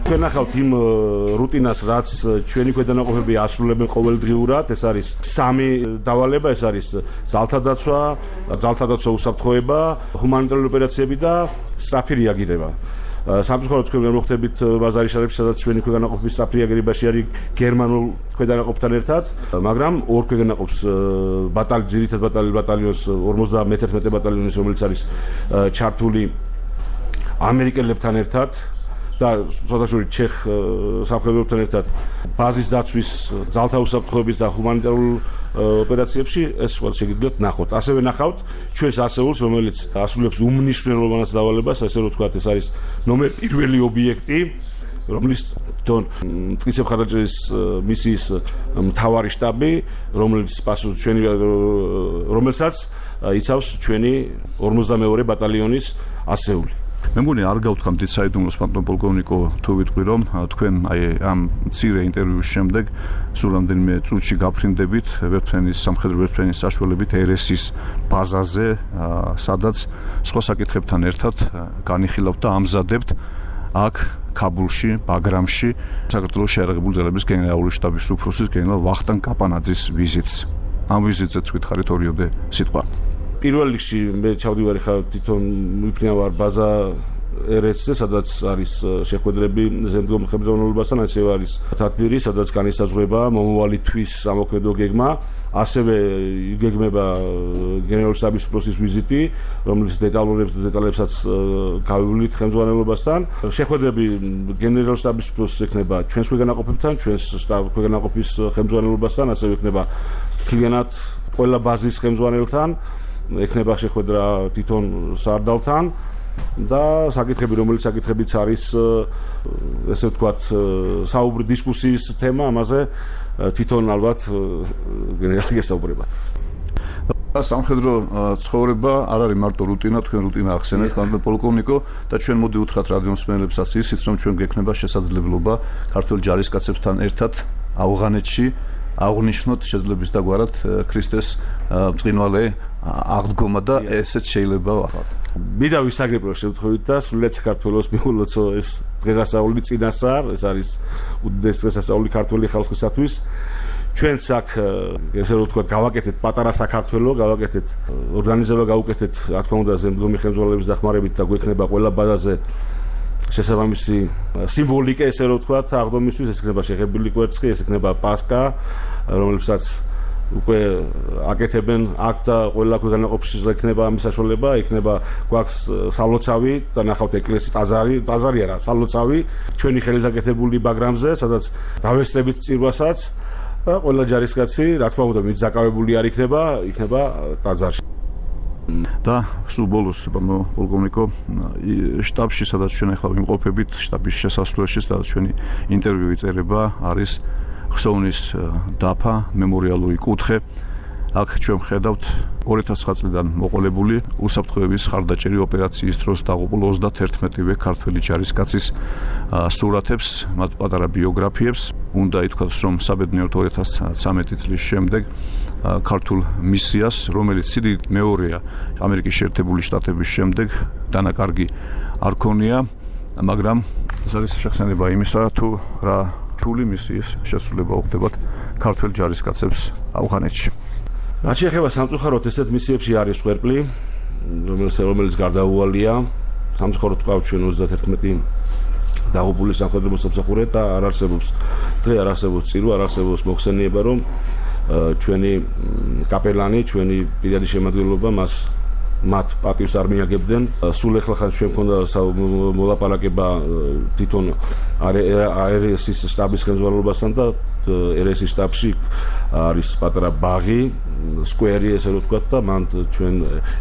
თქვენ ახავთ იმ რუტინას რაც ჩვენი ქვედანაყოფები ასრულებენ ყოველდღიურად ეს არის სამი დავალება ეს არის ძალთა დაცვა ძალთა დაცვა უსაფრთხოება ჰუმანიტარული ოპერაციები და სწრაფი რეაგირება სამწუხაროდ თქვენ ვერ მოხდებით ბაზარი შარებში სადაც ჩვენი ქვედანაყოფების სწრაფი რეაგირებაში არის გერმანულ ქვედანაყოფთან ერთად მაგრამ ორ ქვედანაყოფს ბატალიონს ძირითად ბატალიონს ორმოცდა მეთერთმეტე ბატალიონის რომელიც არის ჩართული ამერიკელებთან ერთად და სოციალური ჩეხ სამხედროებთან ერთად ბაზის დაცვის ძალთა უსაფრთხოების და ჰუმანიტარულ ოპერაციებში ეს სხვა შეგიძლიათ ნახოთ. ასევე ნახავთ ჩვენს ასეულს, რომელიც ასრულებს უმნიშვნელოვანეს დავალებას, ასე რომ ვთქვათ, ეს არის ნომერ პირველი ობიექტი, რომლის თვითონ მტკიცე მხარდაჭერის მისიის მთავარი შტაბი, რომელიც პასუხ ჩვენი რომელსაც იცავს ჩვენი ორმოცდამეორე ბატალიონის ასეული. მე მგონი არ გავთქვამთ საიდუმლოს პატონ პოლკოვნიკო თუ ვიტყვი რომ თქვენ აი ამ მცირე ინტერვიუს შემდეგ სულ რამდენიმე წუთში გაფრინდებით ვერტფრენის სამხედრო ვერტფრენის საშუალებით ერესის ბაზაზე სადაც სხვა საკითხებთან ერთად განიხილავთ და ამზადებთ აქ ქაბულში, ბაგრამში საქართველოს შეიარაღებული ძალების გენერალური შტაბის უფროსის გენერალ ვახტანგ კაპანაძის ვიზიტს ამ ვიზიტზე ვითხარით ორიოდე სიტყვა პირველ რიგში მე ჩავდივარ ხა თვითონ მიფრინავარ ბაზა ერესზე, სადაც არის შეხვედრები ზემდგომ ხელმძღვანელობასთან, ასევე არის თათბირი, სადაც განისაზღვრება მომავალი თვის ამოქმედო გეგმა, ასევე გეგმება გენერალური შტაბის უფროსის ვიზიტი, რომლის დეტალურებს დეტალებსაც გავივლით ხელმძღვანელობასთან. შეხვედრები გენერალური შტაბის უფროსის ექნება ჩვენს ქვეგანაყოფებთან, ჩვენს შტაბ ქვეგანაყოფის ხელმძღვანელობასთან, ასევე ექნება მთლიანად ყველა ბაზის ხელმძღვანელთან. ექნება შეხვედრა თვითონ სარდალთან და საკითხები რომელიც საკითხებიც არის ესე ვთქვათ საუბრი დისკუსიის თემა ამაზე თვითონ ალბათ გენერალი გესაუბრებათ სამხედრო ცხოვრება არ არის მარტო რუტინა თქვენ რუტინა ახსენეთ პატონ პოლკოვნიკო და ჩვენ მოდი უთხრათ რადიო მსმენელებსაც ისიც რომ ჩვენ გექნება შესაძლებლობა ქართული ჯარისკაცებთან ერთად ავღანეთში აღნიშნოთ შეძლებს დაგვარად ქრისტეს მწყინვალე აღდგომა და ესეც შეიძლება ვახავთ. მინდა ვისაგრებო შემთხვევით და სულაც საქართველოს მიულოცო ეს დღესასწაული წინასწარ, ეს არის უდიდეს დღესასწაული ქართული ხალხისათვის. ჩვენც აქ ესე რომ ვთქვათ, გავაკეთეთ პატარა საქართველო, გავაკეთეთ ორგანიზება გავუკეთეთ, რა თქმა უნდა, ზემდგომი ხელმძღვანელობის დახმარებით და გვექნება ყველა ბაზაზე შესაბამისი სიმბოლიკა, ესე რომ ვთქვათ, აღდგომისთვის, ეს იქნება შეხებილი კვერცხი, ეს იქნება პასკა, რომელსაც უკვე აკეთებენ აქ და ყველა ქვეყანაში იქნება ამის საშუალება, იქნება გვაქვს სალოცავი და ნახავთ ეკლესიის ტაძარი, ტაძარი არა, სალოცავი ჩვენი ხელით აკეთებული ბაგრამზე, სადაც დავესწრებით წირვასაც და ყველა ჯარისკაცი, რა თქმა უნდა, ვინც დაკავებული არ იქნება, იქნება ტაძარში. და სულ ბოლოს პატონ პოლკოვნიკო შტაბში სადაც ჩვენ ახლა ვიმყოფებით შტაბის შესასვლელში სადაც ჩვენი ინტერვიუ იწერება არის ხსოვნის დაფა მემორიალური კუთხე აქ ჩვენ ხედავთ ორი ათას ცხრა წლიდან მოყოლებული უსაფრთხოების ხარდაჭერი ოპერაციის დროს დაღუპულ ოცდაათერთმეტივე ქართველი ჯარისკაცის სურათებს, მათ პატარა ბიოგრაფიებს. უნდა ითქვას, რომ საბედნიეროდ ორი ათას ცხრამეტი წლის შემდეგ ქართულ მისიას, რომელიც სიდიდით მეორეა ამერიკის შეერთებული შტატების შემდეგ, დანაკარგი არ ქონია, მაგრამ ეს არის შეხსენება იმისა, თუ რა რთული მისიის შესრულება უხდებათ ქართველ ჯარისკაცებს ავღანეთში. რაც შეეხება სამწუხაროდ ესეთ მისიებში არის ხვერპლი, რომელიც რომელიც გარდაუვალია. სამწუხაროდ ყავს ჩვენ ოცდაათერთმეტი დაღუპული სამხედრო მოსამსახურე და არ არსებობს დღე არ არსებობს წირვა, არ არსებობს მოხსენიება, რომ ჩვენი კაპელანი, ჩვენი პირადი შემადგენლობა მას მათ პატივს არ მიაგებდნენ. სულ ეხლა ხან ჩვენ მქონდა მოლაპარაკება თვითონ ერესის შტაბის ხელმძღვანელობასთან და ერესის შტაბში არის პატარა ბაღი, სკვერი ესე რომ ვთქვათ და მან ჩვენ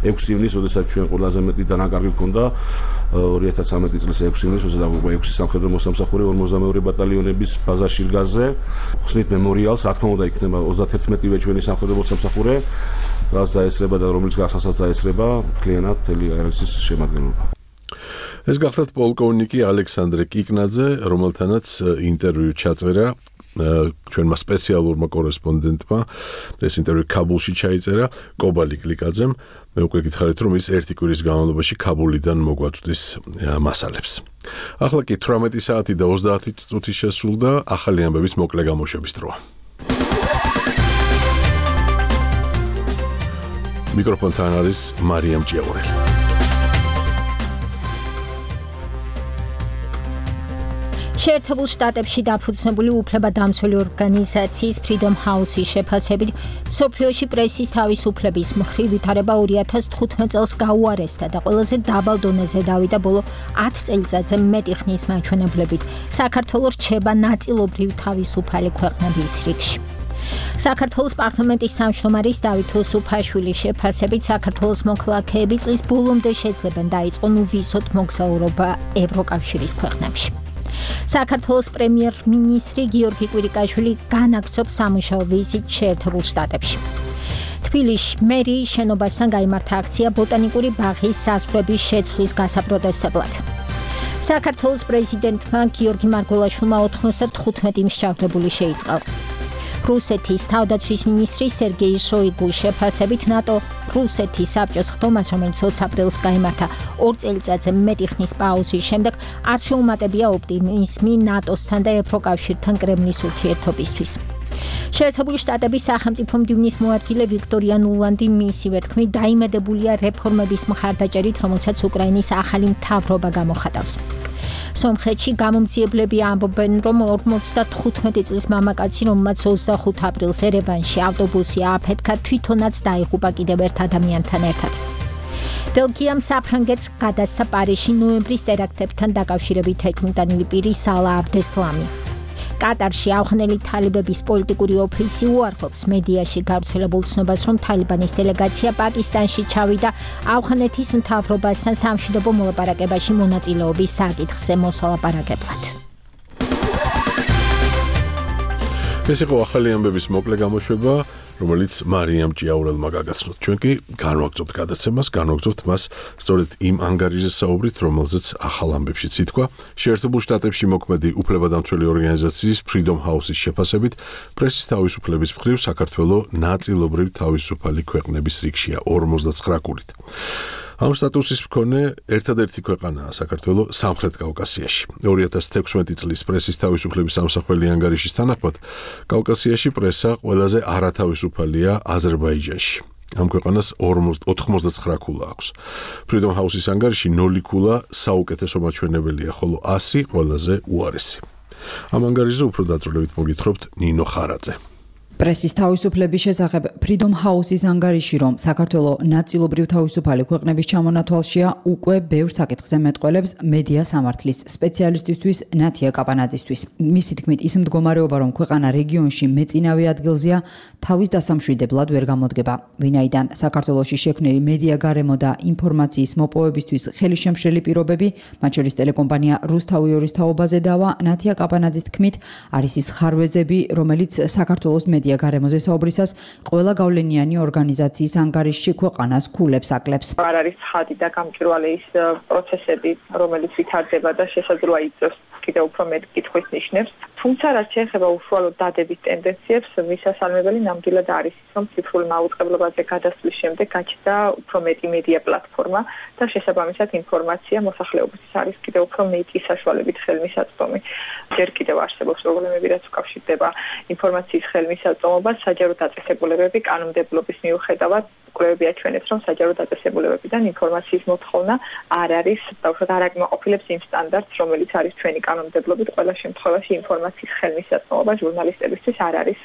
ექვსი ივნის, როდესაც ჩვენ ყველაზე მეტი დანაკარგი მქონდა ორი ათას ცხრამეტი წლის ექვსი ივნის, როდესაც ექვსი სამხედრო მოსამსახურე ორმოცდამეორე ბატალიონების ბაზა შირგაზზე ხსნით მემორიალს, რა თქმა უნდა იქნება ოცდაათერთმეტივე ჩვენი სამხედრო მოსამსახურე, რაც დაესწრება და რომელიც გასასაც დაესწრება კლიანად თელი ერესის შემადგენლობა. ეს გახლავთ პოლკოვნიკი ალექსანდრე კიკნაძე, რომელთანაც ინტერვიუ ჩაწერა ჩვენმა სპეციალურმა კორესპონდენტმა. ეს ინტერვიუ ქაბულში ჩაიწერა კობალი გლიკაძემ. მე უკვე გითხარით, რომ ის ერთი კვირის განმავლობაში ქაბულიდან მოგვაწვდის მასალებს. ახლა კი თვრამეტი საათი და ოცდაათი წუთი შესრულდა, ახალი ამბების მოკლე გამოშვების დროა. მიკროფონთან არის მარიამ ჭიაურელი. შეერთებულ შტატებში დაფუძნებული უფლებადამცველი ორგანიზაციის Freedom House-ის შეფასებით, მსოფლიოში პრესის თავისუფლების მხრივ ვითარება ორი ათას თხუთმეტ წელს გაუარესდა და ყველაზე დაბალ დონეზე დავიდა ბოლო ათი წელიწადზე მეტი ხნის მაჩვენებლებით. საქართველოს რჩება ნაწილობრივ თავისუფალი ქვეყნების რიგში. საქართველოს პარლამენტის თავმჯდომარის დავით უსუფაშვილის შეფასებით, საქართველოს მოქალაქეები წლის ბოლომდე შეძლებენ დაიწყონ უვისოდ მოგზაურობა ევროკავშირის ქვეყნებში. საქართველოს პრემიერ-მინისტრი გიორგი კვირიკაშვილი განაგრძობს სამუშაო ვიზიტს შეერთებულ შტატებში. თბილისში მერიის შენობასთან გაიმართა აქცია ბოტანიკური ბაღის საზღვრების შეცვლის გასაპროტესტებლად. საქართველოს პრეზიდენტმა გიორგი მარგველაშვილმა ოთხმოცდათხუთმეტი მსჯავრდებული შეიწყალა. რუსეთის თავდაცვის მინისტრი სერგეი შოიგუს შეფასებით, ნატო რუსეთის საბჭოს ხდომას, რომელიც ოცი აპრილს გაიმართა ორ წელიწადზე მეტი ხნის პაუზის შემდეგ, არ შეუმატებია ოპტიმიზმი ნატოსთან და ევროკავშირთან კრემლის ურთიერთობისთვის. შეერთებული შტატების სახელმწიფო მდივნის მოადგილე ვიქტორია ნულანდი მისივე თქმით დაიმედებულია რეფორმების მხარდაჭერით, რომელსაც უკრაინის ახალი მთავრობა გამოხატავს. სომხეთში გამომძიებლები ამბობენ, რომ ორმოცდათხუთმეტი წლის მამაკაცი, რომელმაც ოცდახუთი აპრილს ერევანში ავტობუსი ააფეთქა, თვითონაც დაიღუპა კიდევ ერთ ადამიანთან ერთად. ბელგიამ საფრანგეთს გადასცა პარიზში ნოემბრის ტერაქტებთან დაკავშირებით ეთნიკურ პირი სალა აბდესლამი. კატარში ავღანელი თალიბების პოლიტიკური ოფისი უარყოფს მედიაში გავრცელებულ ცნობას, რომ თალიბანის დელეგაცია პაკისტანში ჩავიდა ავღანეთის მთავრობასთან სამშვიდობო მოლაპარაკებაში მონაწილეობის საკითხზე მოსალაპარაკებლად. ეს იყო ახალი ამბების მოკლე გამოშვება, რომელიც მარიამ ჭიაურელმა გაგაცნოთ. ჩვენ კი განვაგრძობთ გადაცემას, განვაგრძობთ მას სწორედ იმ ანგარიზე საუბრით, რომელზეც ახალ ამბებშიც ითქვა. შეერთებულ შტატებში მოქმედი უფლებადამცველი ორგანიზაციის Freedom House-ის შეფასებით, პრესის თავისუფლების მხრივ საქართველო ნაწილობრივ თავისუფალი ქვეყნების რიგშია ორმოცდაცხრა კულით. ამ სტატუსის მქონე ერთადერთი ქვეყანაა საქართველო სამხრეთ კავკასიაში. ორი ათას თექვსმეტი წლის პრესის თავისუფლების სამსახველი ანგარიშის თანახმად, კავკასიაში პრესა ყველაზე არათავისუფალია აზერბაიჯანში. ამ ქვეყანას ოთხმოცდაცხრა კულა აქვს. Freedom House-ის ანგარიში ნული კულა საუკეთესო მაჩვენებელია, ხოლო ასი ყველაზე უარესი. ამ ანგარიშზე უფრო დაწვრილებით მოგითხრობთ ნინო ხარაძე. პრესის თავისუფლების შესახებ Freedom House-ის ანგარიში, რომ საქართველო ნაწილობრივ თავისუფალი ქვეყნების ჩამონათვალშია, უკვე ბევრ საკითხზე მეტყველებს მედია სამართლის სპეციალისტისთვის ნათია კაპანაძისთვის. მისი თქმით, ის მდგომარეობა, რომ ქვეყანა რეგიონში მეწინავე ადგილზეა, თავის დასამშვიდებლად ვერ გამოდგება. ვინაიდან საქართველოში შექმნილი მედია გარემო და ინფორმაციის მოპოვებისთვის ხელისშემშლელი პირობები, მათ შორის ტელეკომპანია რუსთავი ორის თაობაზე დავა, ნათია კაპანაძის თქმით, არის ის ხარვეზები, რომელიც საქართველოს მედია მედია გარემოზე საუბრისას ყველა გავლენიანი ორგანიზაციის ანგარიშში ქვეყანას ქულებს აკლებს. არ არის ხადი და გამჭვირვალე ის პროცესები, რომელიც ვითარდება და შესაძლოა იწვევს კიდევ უფრო მეტ კითხვის ნიშნებს. თუმცა რაც შეეხება უშუალოდ დადების ტენდენციებს, მისასალმებელი ნამდვილად არის ის, რომ ციფრულ მაუწყებლობაზე გადასვლის შემდეგ გაჩნდა უფრო მეტი მედია პლატფორმა და შესაბამისად ინფორმაცია მოსახლეობისთვის არის კიდევ უფრო მეტი საშუალებით ხელმისაწვდომი. ჯერ კიდევ არსებობს პრობლემები, რაც უკავშირდება ინფორმაციის ხელმისაწვდომობას, საჯარო დაწესებულებები კანონმდებლობის მიუხედავად კვლევები აჩვენებს, რომ საჯარო დაწესებულებებიდან ინფორმაციის მოთხოვნა არ არის, თავშოთ არ აკმაყოფილებს იმ სტანდარტს, რომელიც არის ჩვენი კანონმდებლობით. ყველა შემთხვევაში ინფორმაციის ხელმისაწვდომობა ჟურნალისტებისთვის არ არის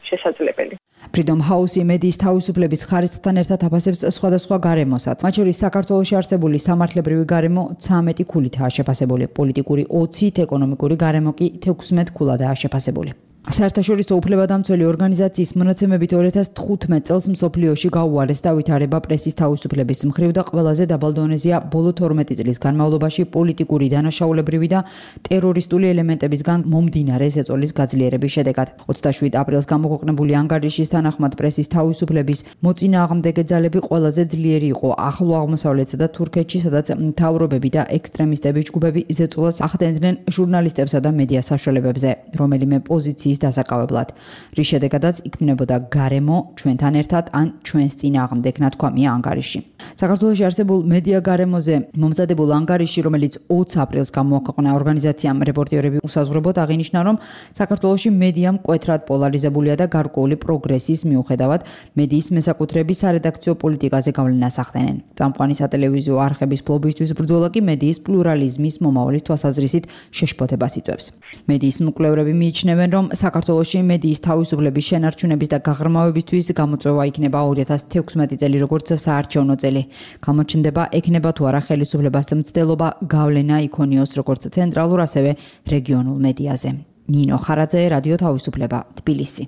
შესაძლებელი. Freedom House მედიის თავისუფლების ხარისხთან ერთად აფასებს სხვადასხვა გარემოსაც. მათ შორის საქართველოში არსებული სამართლებრივი გარემო ცამეტი ქულითაა შეფასებული, პოლიტიკური ოცით, ეკონომიკური გარემო კი თექვსმეტ ქულადაა შეფასებული. საერთაშორისო უფლებადამცველი ორგანიზაციის მონაცემებით ორი ათას თხუთმეტ წელს მსოფლიოში გაუარეს დავითარება პრესის თავისუფლების მხრივ და ყველაზე დაბალ დონეზეა ბოლო თორმეტი წლის განმავლობაში პოლიტიკური დანაშაულებრივი და ტერორისტული ელემენტებისგან მომდინარე ზეწოლის გაძლიერების შედეგად. ოცდაშვიდ აპრილს გამოქვეყნებული ანგარიშის თანახმად პრესის თავისუფლების მოწინააღმდეგე ძალები ყველაზე ძლიერი იყო ახლო აღმოსავლეთსა და თურქეთში, სადაც მთავრობები და ექსტრემისტების ჯგუფები ზეწოლას ახდენდნენ ჟურნალისტებსა და მედია საშუალებებზე, რომელიმე პოზიციის დასაკავებლად, რის შედეგადაც იქმნებოდა გარემო ჩვენთან ერთად ან ჩვენს წინააღმდეგ ნათქვამია ანგარიში. საქართველოში არსებულ მედია გარემოზე მომზადებულ ანგარიში, რომელიც ოცი აპრილს გამოაქვეყნა ორგანიზაციამ რეპორტიორები უსაზღვრებოდ აღინიშნა, რომ საქართველოში მედია მკვეთრად პოლარიზებულია და გარკვეული პროგრესის მიუხედავად მედიის მესაკუთრების სარედაქციო პოლიტიკაზე გავლენას ახდენენ. წამყვანი სატელევიზიო არხების ფლობისთვის ბრძოლა კი მედიის პლურალიზმის მომავლის თვალსაზრისით შეშფოთებას იწვევს. მედიის მკვლევრები მიიჩნევენ, რომ საქართველოში მედიის თავისუფლების შენარჩუნების და გაღრმავებისთვის გამოწვევა იქნება ორი ათას თექვსმეტი წელი როგორც საარჩევნო წელი. გამოჩნდება ექნება თუ არა ხელისუფლებას მცდელობა გავლენა იქონიოს როგორც ცენტრალურ, ასევე რეგიონულ მედიაზე. ნინო ხარაძე, რადიო თავისუფლება, თბილისი.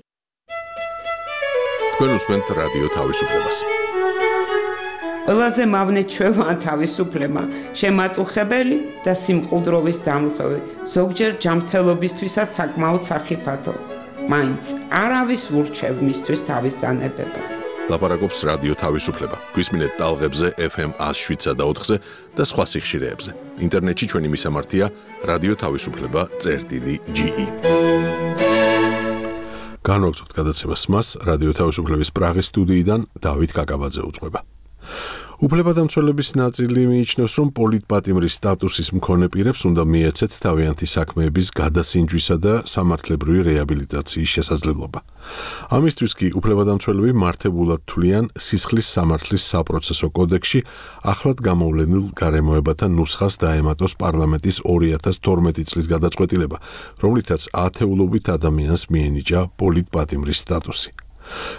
თქვენ უსმენთ რადიო თავისუფლებას. ყველაზე მავნე ჩვევა თავისუფლება, შემაწუხებელი და სიმყუდროვის დამრღვევი, ზოგჯერ ჯანმრთელობისთვისაც საკმაოდ სახიფათო. მაინც არავის ურჩევ მისთვის თავის დანებებას. ლაპარაკობს რადიო თავისუფლება. გვისმინეთ ტალღებზე ეფ ემ ას შვიდსა და ოთხზე და სხვა სიხშირეებზე. ინტერნეტში ჩვენი მისამართია რადიო თავისუფლება წერტილი ჯი ი. განვაგრძობთ გადაცემას მას რადიო თავისუფლების პრაღის სტუდიიდან დავით კაკაბაძე უძღვება. უფლებადამცველების ნაწილი მიიჩნევს, რომ პოლიტპატიმრის სტატუსის მქონე პირებს უნდა მიეცეთ თავიანთი საქმეების გადასინჯვისა და სამართლებრივი რეაბილიტაციის შესაძლებლობა. ამისთვის კი უფლებადამცველები მართებულად თვლიან სისხლის სამართლის საპროცესო კოდექსში ახლად გამოვლენილ გარემოებათა ნუსხას დაემატოს პარლამენტის ორი ათას თორმეტი წლის გადაწყვეტილება, რომლითაც ათეულობით ადამიანს მიენიჭა პოლიტპატიმრის სტატუსი.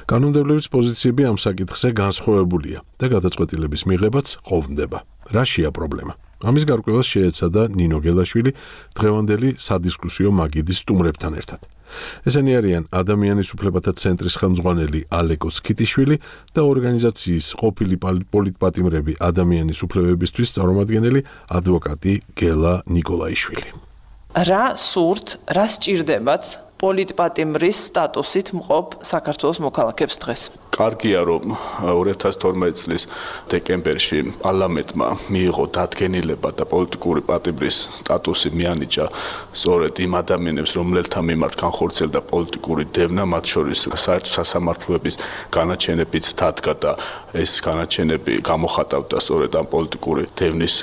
კანონმდებლობის პოზიციები ამ საკითხზე განსხვავებულია და გადაწყვეტილების მიღებაც ყოფნდება. რაშია პრობლემა? ამის გარკვევას შეეცადა ნინო გელაშვილი დღევანდელი სადისკუსიო მაგიდის სტუმრებთან ერთად. ესენი არიან ადამიანის უფლებათა ცენტრის ხელმძღვანელი ალეკო სქიტიშვილი და ორგანიზაციის ყოფილი პოლიტპატიმრები ადამიანის უფლებებისთვის წარმომადგენელი ადვოკატი გელა ნიკოლაიშვილი. რა სურთ, რა სჭირდებათ პოლიტპატიმრის სტატუსით მყოფ საქართველოს მოქალაქეებს დღეს? კარგია, რომ ორი ათას თორმეტი წლის დეკემბერში პარლამენტმა მიიღო დადგენილება და პოლიტიკური პატიმრის სტატუსი მიანიჭა სწორედ იმ ადამიანებს, რომელთა მიმართ განხორციელდა პოლიტიკური დევნა, მათ შორის საერთო სასამართლოების განაჩენებიც დადგა და ეს განაჩენები გამოხატავდა სწორედ ამ პოლიტიკური დევნის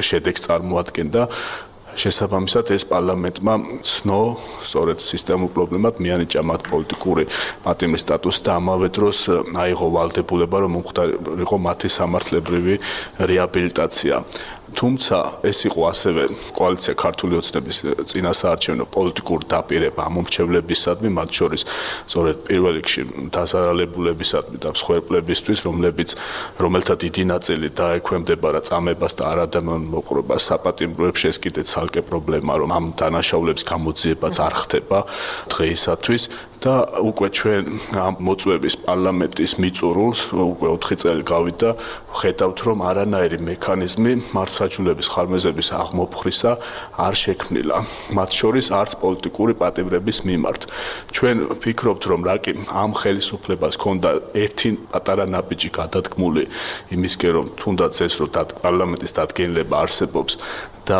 შედეგს წარმოადგენდა. შესაბამისად ეს პარლამენტმა ცნო სწორედ სისტემურ პრობლემად მიანიჭა მათ პოლიტიკური პატიმრის სტატუსი და ამავე დროს აიღო ვალდებულება, რომ მომხდარიყო მათი სამართლებრივი რეაბილიტაცია. თუმცა ეს იყო ასევე კოალიცია ქართული ოცნების წინასაარჩევნო პოლიტიკური დაპირება ამომრჩევლებისადმი, მათ შორის სწორედ პირველ რიგში დაზარალებულებისადმი და მსხვერპლებისთვის, რომლებიც რომელთა დიდი ნაწილი დაექვემდებარა წამებას და არადამიანურ მოპყრობას საპატიმროებში, ეს კიდე ცალკე პრობლემა, რომ ამ დანაშაულების გამოძიებაც არ ხდება დღეისათვის და უკვე ჩვენ ამ მოწვევის პარლამენტის მიწურულს უკვე ოთხი წელი გავიდა, ხედავთ რომ არანაირი მექანიზმი მართლმსაჯულების ხარმეზების აღმოფხრისა არ შექმნილა, მათ შორის არც პოლიტიკური პატიმრების მიმართ. ჩვენ ვფიქრობთ რომ რაკი ამ ხელისუფლებას ჰქონდა ერთი პატარა ნაბიჯი გადადგმული იმისკენ რომ თუნდაც ეს რომ პარლამენტის დადგენილება არსებობს და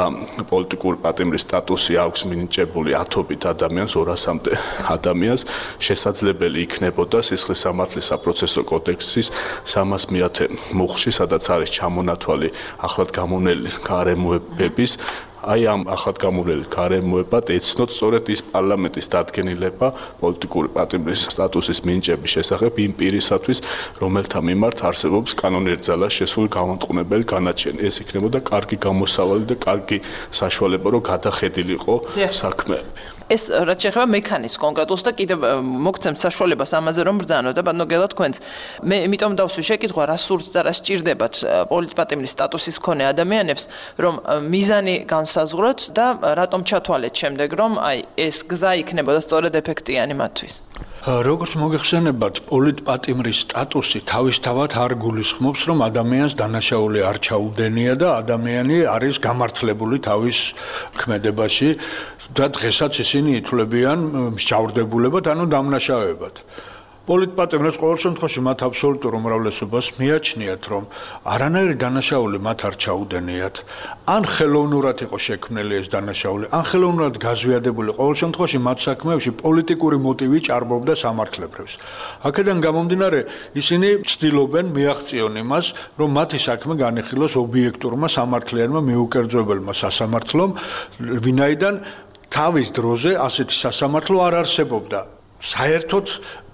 პოლიტიკური პატიმრის სტატუსი აქვს მინიჭებული ათობით ადამიანს, ორასამდე ადამიანს, შესაძლებელი იქნებოდა სისხლის სამართლის საპროცესო კოდექსის სამას მეათე მუხლში, სადაც არის ჩამონათვალი ახლად გამონელი გარემოებების აი ამ ახლად გამონელი გარემოებად ეცნოთ სწორედ ის პარლამენტის დადგენილება პოლიტიკური პატიმრის სტატუსის მინიჭების შესახებ იმ პირისათვის, რომელთა მიმართ არსებობს კანონიერ ძალას შესული გამამტყუნებელი განაჩენი. ეს იქნებოდა კარგი გამოსავალი და კარგი საშუალება, რომ გადახედილიყო საქმეები. ეს რაც შეეხება მექანიზმს კონკრეტულს და კიდევ მოგცემთ საშუალებას ამაზე რომ ბრძანოთ და ბატონო გელა თქვენც მე იმიტომ დავსვი შეკითხვა რა სურთ და რა სჭირდებათ პოლიტპატიმრის სტატუსის მქონე ადამიანებს რომ მიზანი განსაზღვროთ და რატომ ჩათვალეთ შემდეგ რომ აი ეს გზა იქნებოდა სწორედ ეფექტიანი მათთვის. როგორც მოგეხსენებათ, პოლიტპატიმრის სტატუსი თავისთავად არ გულისხმობს, რომ ადამიანს დანაშაული არ ჩაუდენია და ადამიანი არის გამართლებული თავის ქმედებაში და დღესაც ისინი ითვლებიან მსჯავრდებულებად, ანუ დამნაშავებად. პოლიტპატიმრებს ყოველ შემთხვევაში მათ აბსოლუტურ უმრავლესობას მიაჩნიათ, რომ არანაირი დანაშაული მათ არ ჩაუდენიათ, ან ხელოვნურად იყო შექმნილი ეს დანაშაული, ან ხელოვნურად გაზვიადებული, ყოველ შემთხვევაში მათ საქმეებში პოლიტიკური მოტივი ჭარბობდა სამართლებრივს. აქედან გამომდინარე, ისინი ცდილობენ მიაღწიონ იმას, რომ მათი საქმე განიხილოს ობიექტურმა სამართლიანმა მიუკერძოებელმა სასამართლომ, ვინაიდან თავის დროზე ასეთი სასამართლო არ არსებობდა. საერთოდ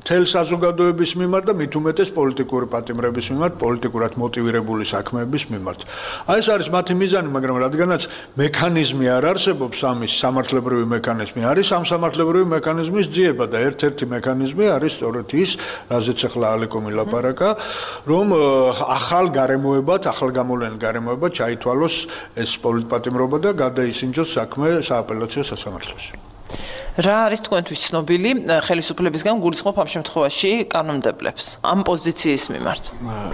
მთელ საზოგადოების მიმართ და მით უმეტეს პოლიტიკური პატიმრების მიმართ, პოლიტიკურად მოტივირებული საქმეების მიმართ. აი ეს არის მათი მიზანი, მაგრამ რადგანაც მექანიზმი არ არსებობს, ამის სამართლებრივი მექანიზმი არის ამ სამართლებრივი მექანიზმის ძიება და ერთ-ერთი მექანიზმი არის სწორედ ის, რაზეც ახლა ალეკო მილაპარაკა, რომ ახალ გარემოებად, ახალ გამოვლენილ გარემოებად ჩაითვალოს ეს პოლიტპატიმრობა და გადაისინჯოს საქმე სააპელაციო სასამართლოში. რა არის თქვენთვის ცნობილი ხელისუფლებისგან გულისხმობ ამ შემთხვევაში კანონმდებლებს ამ პოზიციის მიმართ?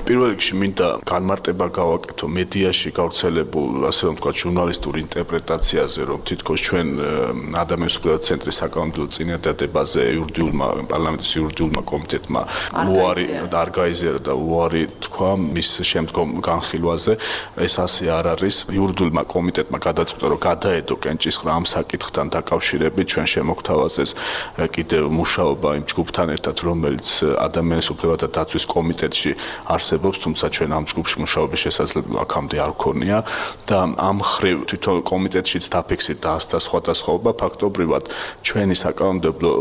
პირველ რიგში მინდა განმარტება გავაკეთო მედიაში გავრცელებულ, ასე რომ ვთქვათ, ჟურნალისტურ ინტერპრეტაციაზე, რომ თითქოს ჩვენ ადამიანის უფლებათა ცენტრის საკანონმდებლო წინადადებაზე იურიდიულმა პარლამენტის იურიდიულმა კომიტეტმა უარი არ გაიზიარა და უარი თქვა მის შემდგომ განხილვაზე. ეს ასე არ არის. იურიდიულმა კომიტეტმა გადაწყვიტა, რომ გადაედო კენჭისყრა ამ საკითხთან დაკავშირებით ჩვენ შემოგთავაზეს კიდევ მუშაობა იმ ჯგუფთან ერთად, რომელიც ადამიანის უფლებათა დაცვის კომიტეტში არსებობს, თუმცა ჩვენ ამ ჯგუფში მუშაობის შესაძლებლობა აქამდე არ გქონია და ამ ხრივ თვითონ კომიტეტშიც დაფიქსირდა დაასწრა სხვადასხვაობა, ფაქტობრივად ჩვენი საკანონმდებლო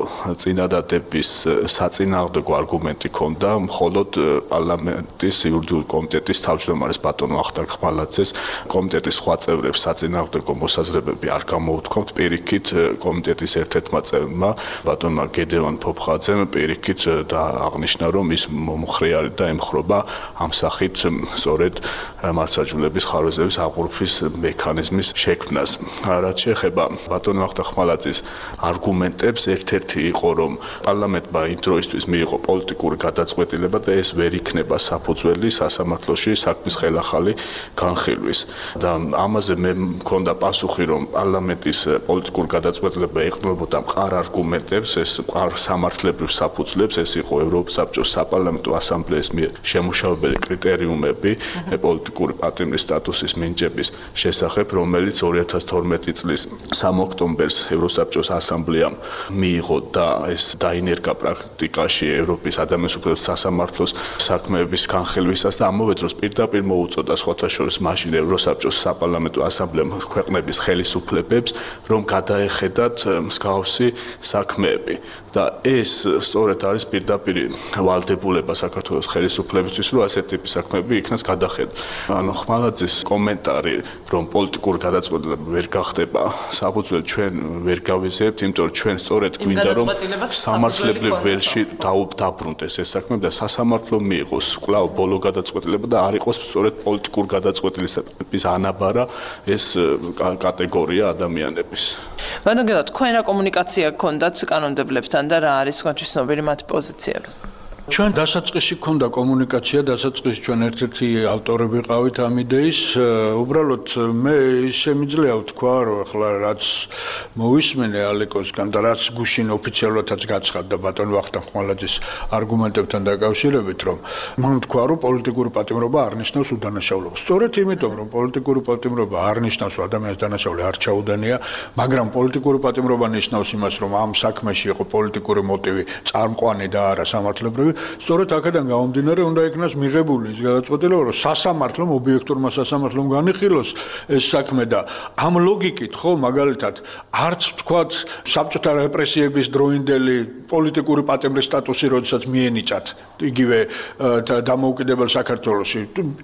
წინადადების საწინააღმდეგო არგუმენტი ჰქონდა მხოლოდ პარლამენტის იურიდიული კომიტეტის თავმჯდომარის ბატონ ვახტანგ ხმალაძეს. კომიტეტის სხვა წევრებს საწინააღმდეგო მოსაზრებები არ გამოუთქვამთ, პირიქით კომიტეტის ერთ-ერთმა წევრმა ბატონმა გედევან ფოფხაძემ პირიქით და აღნიშნა, რომ ის მომხრეარი და ემხრობა ამ სახით სწორედ მართლმსაჯულების ხარვეზების აღურფის მექანიზმის შექმნას. რაც შეეხება ბატონ ვახტანგ ხმალაძის არგუმენტებს, ერთ-ერთი იყო, რომ პარლამენტმა იმ დროისთვის მიიღო პოლიტიკური გადაწყვეტილება და ეს ვერ იქნება საფუძველი სასამართლოში საქმის ხელახალი განხილვის. და ამაზე მე მქონდა პასუხი, რომ პარლამენტის პოლიტიკური გადაწყვეტილება ეყრდნობოდა მყარ არგუმენტებს, ეს მყარ სამართლებრივ საფუძვლებს, ეს იყო ევროპის საბჭოს საპარლამენტო ასამბლეის მიერ შემუშავებელი კრიტერიუმები პოლიტიკური პატიმრის სტატუსის მინიჭების შესახებ, რომელიც ორი ათას თორმეტი წლის სამ ოქტომბერს ევროსაბჭოს ასამბლეამ მიიღო და ეს დაინერგა პრაქტიკაში ევროპის ადამიანის უფლებათა სასამართლოს საქმეების განხილვისას და ამავე დროს პირდაპირ მოუწოდა სხვათა შორის მაშინ ევროსაბჭოს საპარლამენტო ასამბლეამ ქვეყნების ხელისუფლებებს, რომ გადაეხედათ მსგავსი საქმეები და ეს სწორედ არის პირდაპირ ვალდებულება საქართველოს ხელისუფლებისთვის, რომ ასეთ ტიპის საქმეები იქნას გადახედა. ანუ ხმალაძის კომენტარი, რომ პოლიტიკური გადაწყვეტილება ვერ გახდება საფუძველი, ჩვენ ვერ გავიზიარებთ, იმიტომ რომ ჩვენ სწორედ გვინდა რომ სამართლებრივ ველში დაუბრუნდეს ეს საქმეები და სასამართლო მიიღოს კვლავ ბოლო გადაწყვეტილება და არ იყოს სწორედ პოლიტიკურ გადაწყვეტილების ანაბარა ეს კატეგორია ადამიანების. ბატონო, თქვენ რა კომუნიკაცია გქონდათ კანონმდებლებთან და რა არის თქვენთვის ცნობილი მათი პოზიციები? ჩვენ დასაწყისში ქონდა კომუნიკაცია, დასაწყისში ჩვენ ერთ-ერთი ავტორები ყავით ამ იდეის. უბრალოდ მე შემიძლია ვთქვა, რომ ახლა რაც მოვისმენე ალეკოსგან და რაც გუშინ ოფიციალურადაც გაცხადდა ბატონ ვახტანგ ხმალაძის არგუმენტებთან დაკავშირებით, რომ მან თქვა, რომ პოლიტიკური პატიმრობა არ ნიშნავს უდანაშაულობას. სწორედ იმიტომ, რომ პოლიტიკური პატიმრობა არ ნიშნავს ადამიანის დანაშაული არ ჩაუდენია, მაგრამ პოლიტიკური პატიმრობა ნიშნავს იმას, რომ ამ საქმეში იყო პოლიტიკური მოტივი, წამყვანი და არა სამართლებრივი. სწორედ აქედან გამომდინარე უნდა იქნას მიღებული ის გადაწყვეტილება, რომ სასამართლომ, ობიექტურმა სასამართლომ განიხილოს ეს საქმე და ამ ლოგიკით, ხო, მაგალითად, არც თქვათ საბჭოთა რეპრესიების დროინდელი პოლიტიკური პატიმრის სტატუსი, როდესაც მიენიჭათ იგივე დამოუკიდებელ საქართველოში,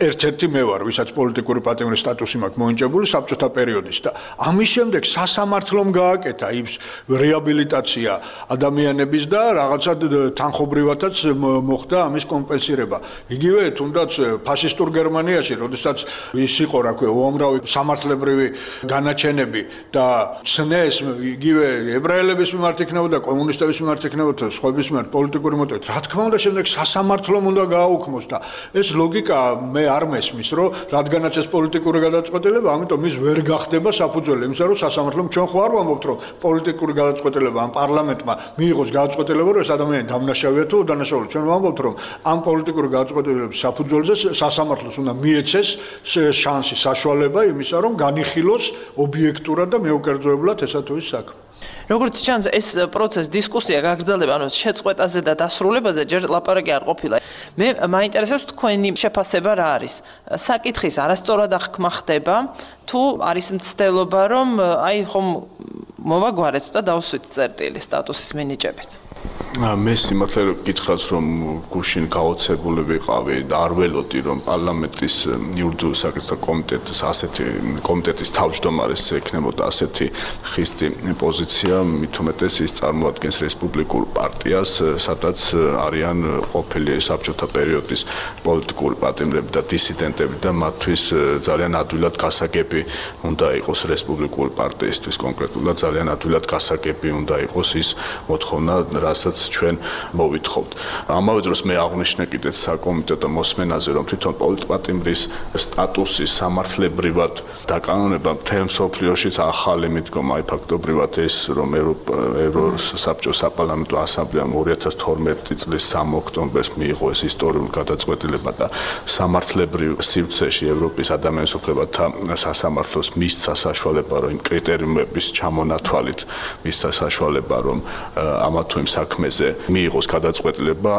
ერთ-ერთი მე ვარ, ვისაც პოლიტიკური პატიმრის სტატუსი მაქვს მოენჭებული საბჭოთა პერიოდის და ამის შემდეგ სასამართლომ გააკეთა ის რეაბილიტაცია ადამიანების და რაღაცა თანხობრივადაც მოხდა ამის კომპენსირება. იგივე თუნდაც ფაშისტურ გერმანიაში, როდესაც ის იყო, რა ქვია, უამრავი სამართლებრივი განაჩენები და ცნეს იგივე ებრაელების მიმართ იქნებოდა, კომუნისტების მიმართ იქნებოდა, სხვების მიმართ პოლიტიკური მოტივით. რა თქმა უნდა, შემდეგ სასამართლომ უნდა გააუქმოს და ეს ლოგიკა მე არ მესმის, რომ რადგანაც ეს პოლიტიკური გადაწყვეტილება, ამიტომ ის ვერ გახდება საფუძველი იმისა, რომ სასამართლომ ჩვენ ხო არ ვამბობთ, რომ პოლიტიკური გადაწყვეტილება ამ პარლამენტმა მიიღოს გადაწყვეტილება, რომ ეს ადამიანი დამნაშავეა თუ უდანაშაულია. ჩვენ ვამბობთ, რომ ამ პოლიტიკური გადაწყვეტილების საფუძველზე სასამართლოს უნდა მიეცეს შანსი, საშუალება იმისა, რომ განიხილოს ობიექტურად და მეუკერძოებლად ესა თუ ის საქმე. როგორც ჩანს, ეს პროცესი, დისკუსია გაგრძელდება, ანუ შეწყვეტაზე და დასრულებაზე ჯერ ლაპარაკი არ ყოფილა. მე მაინტერესებს თქვენი შეფასება რა არის? საკითხის არასწორად აღქმა ხდება, თუ არის მცდელობა, რომ აი ხომ მოვაგვარეთ და დავსვით წერტილი სტატუსის მინიჭებით? მე სიმართლე გითხრათ, რომ გუშინ გაოცებული ვიყავი და არ ველოდი, რომ პარლამენტის იურიდიული საკითხთა კომიტეტის ასეთი კომიტეტის თავმჯდომარის ექნებოდა ასეთი ხისტი პოზიცია, მით უმეტეს ის წარმოადგენს რესპუბლიკურ პარტიას, სადაც არიან ყოფილი საბჭოთა პერიოდის პოლიტიკური პატიმრები და დისიდენტები და მათთვის ძალიან ადვილად გასაგები უნდა იყოს რესპუბლიკური პარტიისთვის კონკრეტულად ძალიან ადვილად გასაგები უნდა იყოს ის მოთხოვნა, რასაც ჩვენ მოვითხოვთ. ამავე დროს მე აღნიშნე კიდეც საკომიტეტო მოსმენაზე, რომ თვითონ პოლიტპატიმრის სტატუსის სამართლებრივად დაკანონება მთელ მსოფლიოშიც ახალი მიდგომა, აი ფაქტობრივად ეს, რომ ევროსაბჭოს საპარლამენტო ასამბლეამ ორი ათას თორმეტი წლის სამი ოქტომბერს მიიღო ეს ისტორიული გადაწყვეტილება და სამართლებრივ სივრცეში ევროპის ადამიანის უფლებათა სასამართლოს მისცა საშუალება, რომ იმ კრიტერიუმების ჩამონათვალით მისცა საშუალება, რომ ამა თუ იმ საქმეზე მიიღოს გადაწყვეტილება,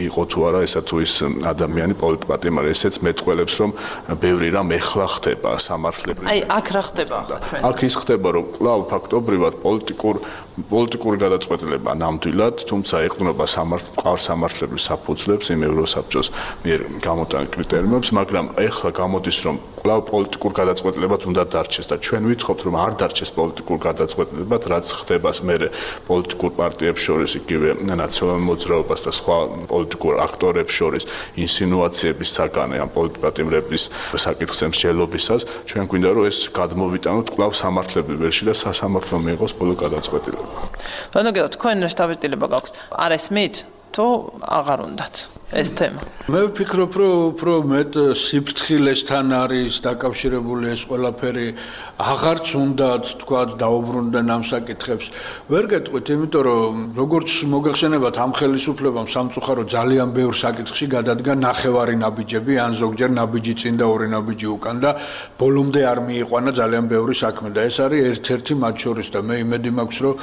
იყო თუ არა ესა თუ ის ადამიანი პოლიტპატიმარი, ესეც მეტყველებს, რომ ბევრი რამ ეხლა ხდება სამართლებრივ. აი, აქ რა ხდება ახლა ჩვენ? აქ ის ხდება, რომ კვლავ ფაქტობრივად პოლიტიკურ პოლიტიკური გადაწყვეტილება ნამდვილად, თუმცა ეყრდნობა მყარ სამართლებრივ საფუძვლებს იმ ევროსაბჭოს მიერ გამოტანილ კრიტერიუმებს, მაგრამ ეხლა გამოდის, რომ კვლავ პოლიტიკურ გადაწყვეტილებად უნდა დარჩეს და ჩვენ ვითხოვთ, რომ არ დარჩეს პოლიტიკურ გადაწყვეტილებად, რაც ხდება მერე პოლიტიკურ პარტიებს შორის, იგივე ნაციონალურ მოძრაობას და სხვა პოლიტიკურ აქტორებს შორის ინსინუაციების საგანე ამ პოლიტპატიმრების საკითხზე მსჯელობისას, ჩვენ გვინდა, რომ ეს გადმოვიტანოთ კვლავ სამართლებრივ ველში და სასამართლომ მიიღოს ბოლო გადაწყვეტილება. ანუ გეო თქვენ რა შტაბილება გაქვს? არ ესმით თუ აღარ უნდათ ეს თემა? მე ვფიქრობ, რომ უფრო მეტ სიფრთხილესთან არის დაკავშირებული ეს ყველაფერი, აღარც უნდათ თქვა დაუბრუნდნენ ამ საკითხებს. ვერ გეტყვით, იმიტომ რომ როგორც მოგეხსენებათ ამ ხელისუფლებამ სამწუხარო ძალიან ბევრ საკითხში გადადგა ნახევარი ნაბიჯები, ან ზოგჯერ ნაბიჯი წინ და ორი ნაბიჯი უკან და ბოლომდე არ მიიყვანა ძალიან ბევრი საქმე და ეს არის ერთ-ერთი მათ შორის და მე იმედი მაქვს, რომ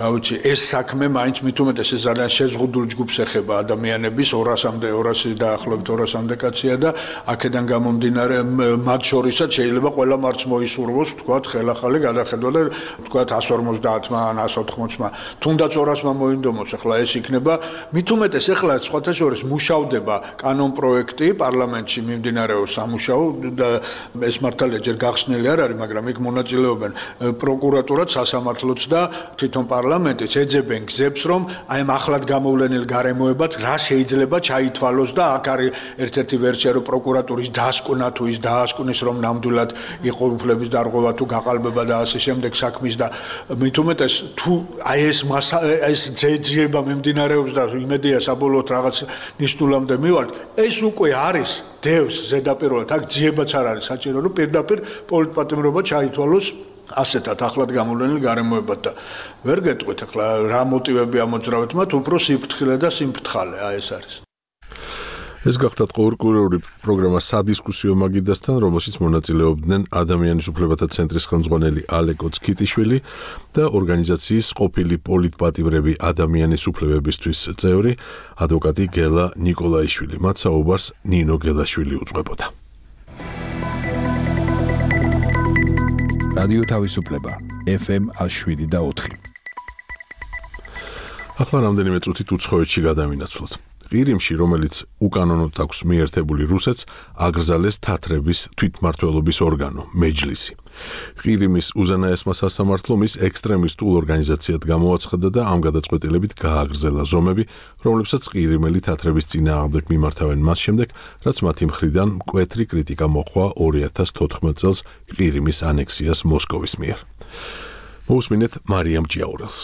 რა ვიცი, ეს საქმე მაინც მით უმეტეს ეს ძალიან შეზღუდულ ჯგუფს ეხება ადამიანების ორასამდე ორასი დაახლოებით ორასამდე კაცია და აქედან გამომდინარე მათ შორისაც შეიძლება ყველა მარც მოისურვოს თქვათ ხელახალი გადახედვა და თქვათ εκατს ორმოცდაათმა ან εκατს ოთხმოცმა თუნდაც ორასმა მოინდომოს ახლა ეს იქნება მით უმეტეს ახლა სხვათა შორის მუშავდება კანონ პროექტი პარლამენტში მიმდინარეობს სამუშაო და ეს მართალია ჯერ გახსნილი არ არის მაგრამ იქ მონაწილეობენ პროკურატურაც სასამართლოც და თვითონ პარლამენტი პარლამენტიც ეძებენ გზებს, რომ აი ამ ახლად გამოვლენილ გარემოებად რა შეიძლება ჩაითვალოს და აქ არის ერთ-ერთი ვერსია, რომ პროკურატურის დასკვნა თუ ის დაასკვნის, რომ ნამდვილად იყო უფლების დარღვევა თუ გაყალბება და ასე შემდეგ საქმის და მით უმეტეს თუ აი ეს ეს ძიება მიმდინარეობს და იმედია საბოლოოდ რაღაც ნიშნულამდე მივართ, ეს უკვე არის დევს ზედაპირულად, აქ ძიებაც არ არის საჭირო, რომ პირდაპირ პოლიტპატიმრობა ჩაითვალოს ასეთად ახლად გამოვლენილ გარემოებად და ვერ გეტყვით ახლა რა მოტივები ამოძრავეთ მათ, უფრო სიფრთხილე და სიმფრთხალე, აი ეს არის. ეს გახდათ ყურყურეული პროგრამა სადისკუსიო მაგიდასთან, რომელშიც მონაწილეობდნენ ადამიანის უფლებათა ცენტრის ხელმძღვანელი ალე კოცკიტიშვილი და ორგანიზაციის ყოფილი პოლიტპატიმრები ადამიანის უფლებებისთვის წევრი ადვოკატი გელა ნიკოლაიშვილი. მათ საუბარს ნინო გელაშვილი უძღვებოდა. რადიო თავისუფლება ეფ ემ შვიდ და ოთხი. ახლა რამდენიმე წუთით უცხოეთში გადავინაცვლოთ. ყირიმში, რომელიც უკანონოდ აქვს მიერთებული რუსეთს, აგრძალეს თათრების თვითმმართველობის ორგანო, მეჯლისი. ყირიმის უზენაესმა სასამართლომ ის ექსტრემისტულ ორგანიზაციად გამოაცხადა და ამ გადაწყვეტილებით გააგრძელა ზომები, რომლებსაც ყირიმელი თათრების წინააღმდეგ მიმართავენ მას შემდეგ, რაც მათი მხრიდან მკვეთრი კრიტიკა მოჰყვა ორი ათას თოთხმეტ წელს ყირიმის ანექსიას მოსკოვის მიერ. მოусმინეთ მარიამ ჭიაურელს.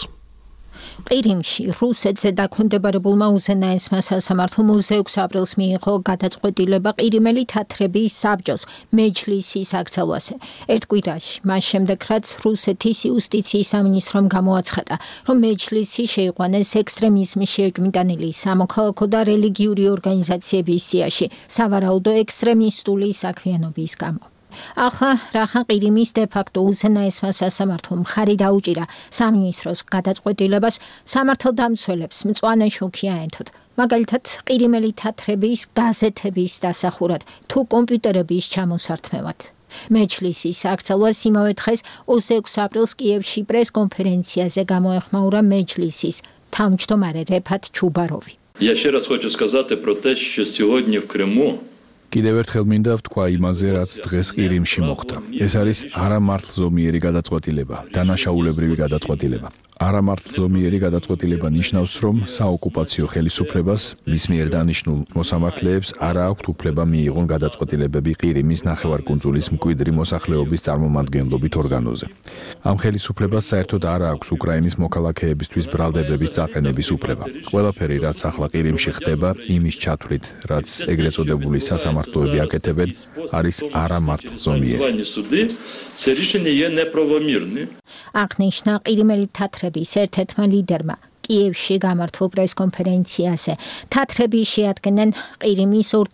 ყირიმში რუსეთზე დაქვემდებარებულმა უზენაესმა სასამართლომ ოცდაექვსი აპრილს მიიღო გადაწყვეტილება ყირიმელი თათრების საბჭოს მეჯლისის აკრძალვაზე. ერთ კვირაში, მას შემდეგ, რაც რუსეთის იუსტიციის სამინისტრომ გამოაცხადა, რომ მეჯლისი შეიყვანეს ექსტრემიზმის შეჭმიტანილი სამოქალაქო და რელიგიური ორგანიზაციების სიაში სავარაუდო ექსტრემისტული საქმიანობის გამო. ახლა რახან ყირიმის დე-ფაქტო უზენაესმა სასამართლომ მხარი დაუჭირა სამინისტროს გადაწყვეტილებას, სამართალდამცველებს მწვანე შუქი აენთოთ. მაგალითად, ყირიმელი თათრების გაზეთების დასახურად თუ კომპიუტერების ჩამოსართმევად. მეჯლისის აკრძალვას იმავე დღეს ოცდაექვსი აპრილს კიევში პრეს-კონფერენციაზე გამოეხმაურა მეჯლისის თავმჯდომარე რეფათ ჩუბაროვი. Я ще раз хочу сказати про те, що сьогодні в Криму კიდევ ერთხელ მინდა ვთქვა იმაზე, რაც დღეს ყირიმში მოხდა. ეს არის არამართლზომიერი გადაწყვეტილება, დანაშაულებრივი გადაწყვეტილება. არამართლზომიერი გადაწყვეტილება ნიშნავს, რომ საოკუპაციო ხელისუფლებას მის მიერ დანიშნულ მოსამართლეებს არ აქვთ უფლება მიიღონ გადაწყვეტილებები ყირიმის ნახევარკუნძულის მკვიდრი მოსახლეობის წარმომადგენლობით ორგანოზე. ამ ხელისუფლებას საერთოდ არ აქვს უკრაინის მოქალაქეებისთვის ბრალდებების წაყენების უფლება. ყველაფერი, რაც ახლა ყირიმში ხდება, იმის ჩათვლით, რაც ეგრეთ წოდებული სასამართლოები აკეთებენ, არის არამართლზომიერი. Це рішення є неправомірне. აღნიშნა ყირიმელი თათრების ერთ-ერთმა ლიდერმა კიევში გამართულ პრეს-კონფერენციაზე. თათრები შეადგენენ ყირიმის ორ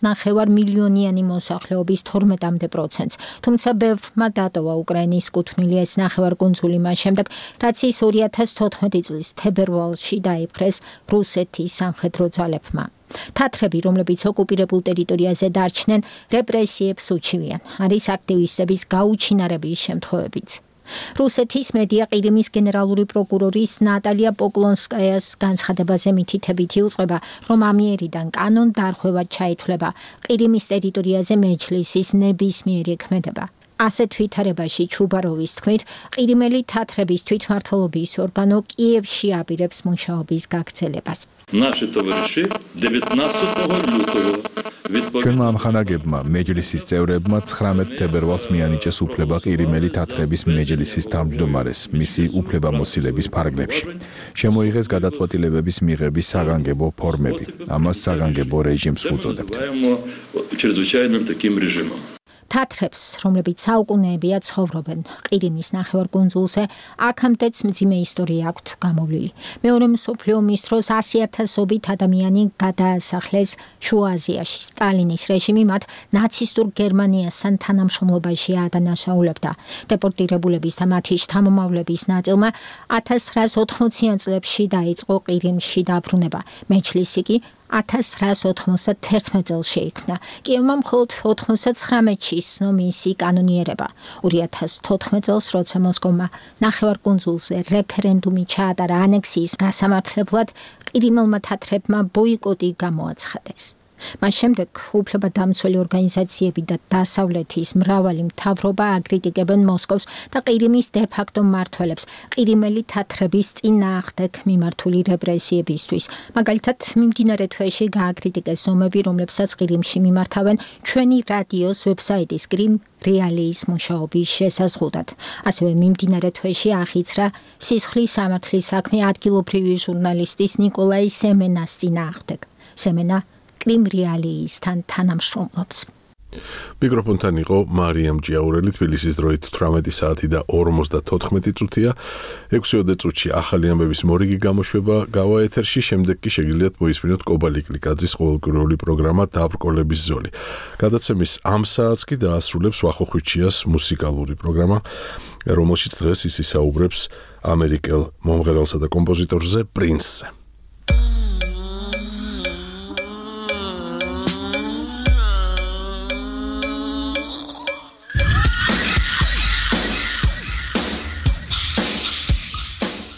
მილიონიანი მოსახლეობის თორმეტამდე პროცენტს, თუმცა ბევრმა დატოვა უკრაინის კუთვნილი ეს ნახევარკუნძული მას შემდეგ, რაც ის ორი ათას თოთხმეტი წლის თებერვალში დაიპყრეს რუსეთის სამხედრო ძალებმა. თათრები, რომლებიც ოკუპირებულ ტერიტორიაზე დარჩნენ, რეპრესიებს უჩივიან. არის აქტივისტების გაუჩინარების შემთხვევებიც. რუსეთის მედია ყირიმის გენერალური პროკურორის ნატალია პოკლონსკაიას განცხადებაზე მითითებით იუწყება, რომ ამიერიდან კანონ დარღვევად ჩაითვლება ყირიმის ტერიტორიაზე მეჯლისის ნებისმიერი ქმედება. ასეთ ვითარებაში ჩუბაროვის თქმით, ყირიმელი თათრების თვითმმართველობის ორგანო კიევში აპირებს მუშაობის გაგრძელებას. Наші товариші дев'ятнадцятого лютого ჩვენმა ამხანაგებმა მეჯლისის წევრებმა ცხრამეტ თებერვალს მიანიჭეს უფლება ყირიმელი თათრების მეჯლისის თავმჯდომარეს მისი უფლებამოსილების ფარგლებში. შემოიღეს გადაწყვეტილებების მიღების საგანგებო ფორმები. ამას საგანგებო რეჟიმს უწოდებთ. чрезвычайным таким режимом. თათრებს, რომლებიც საუკუნეებია ცხოვრობენ ყირიმის ნახევარკუნძულზე, აქამდეც მძიმე ისტორია აქვთ გამოვლილი. მეორე მსოფლიო ომის დროს ასი ათასობით ადამიანი გადაასახლეს შუა აზიაში. სტალინის რეჟიმი მათ ნაცისტურ გერმანიასთან თანამშრომლობაში ადანაშაულებდა. დეპორტირებულების და მათი შთამომავლების ნაწილმა ათას ცხრაას ოთხმოციან წლებში დაიწყო ყირიმში დაბრუნება. მეჯლისი კი ათას ცხრაას ოთხმოცდათერთმეტ წელს შეიქმნა. კიევმა მხოლოდ ოთხმოცდაცხრამეტში ისნო მისი კანონიერება. ორი ათას თოთხმეტ წელს, როცა მოსკოვმა ნახევარკუნძულზე რეფერენდუმი ჩაატარა ანექსიის გასამართლებლად, ყირიმელმა თათრებმა ბოიკოტი გამოაცხადეს. მას შემდეგ უფლებადამცველი ორგანიზაციები და დასავლეთის მრავალი მთავრობა აკრიტიკებენ მოსკოვს და ყირიმის დე-ფაქტო მმართველებს ყირიმელი თათრების წინააღმდეგ მიმართული რეპრესიებისთვის. მაგალითად, მიმდინარე თვეში გააკრიტიკეს ზომები, რომლებსაც ყირიმში მიმართავენ ჩვენი რადიოს ვებსაიტის კრიმ რეალიის მუშაობის შესაზღუდად. ასევე მიმდინარე თვეში ახიცრა სისხლის სამართლის საქმე ადგილობრივი ჟურნალისტის ნიკოლაი სემენას წინააღმდეგ. სემენა კრიმ რეალიისთან თანამშრომლობს. მიკროფონთან იყო მარიამ ჯიაურელი, თბილისის დროით თვრამეტი საათი და ორმოცდათოთხმეტი წუთია. ექვსი წუთში ახალი ამბების მორიგი გამოშვება გავა ეთერში, შემდეგ კი შეგიძლიათ მოისმინოთ კობალი კლიკაძის ყოველკვირეული პროგრამა დაბრკოლების ზოლი. გადაცემის ამ საათს კი დაასრულებს ვახო ხვიჩიას მუსიკალური პროგრამა, რომელშიც დღეს ის ისაუბრებს ამერიკელ მომღერალსა და კომპოზიტორზე პრინსზე.